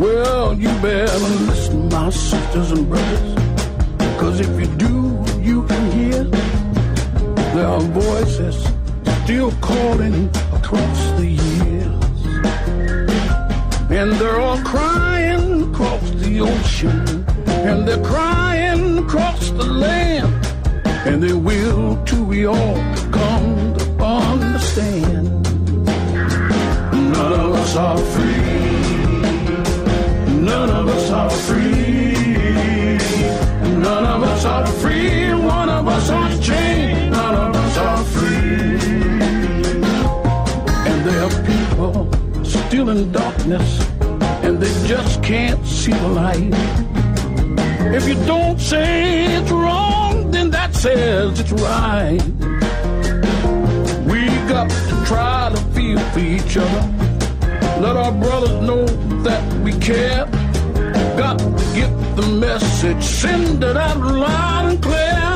Well, you better listen, my sisters and brothers, 'cause if you do you can hear. There are voices still calling across the years. And they're all crying across the ocean. And they're crying across the land. And they will till we all come to understand. None of us are free. None of us are free. None of us are free. One of us are chained. None of us are free. And there are people still in darkness, and they just can't see the light. If you don't say it's wrong, then that says it's right. We got to try to feel for each other. Let our brothers know that we care. Got to get the message, send it out loud and clear.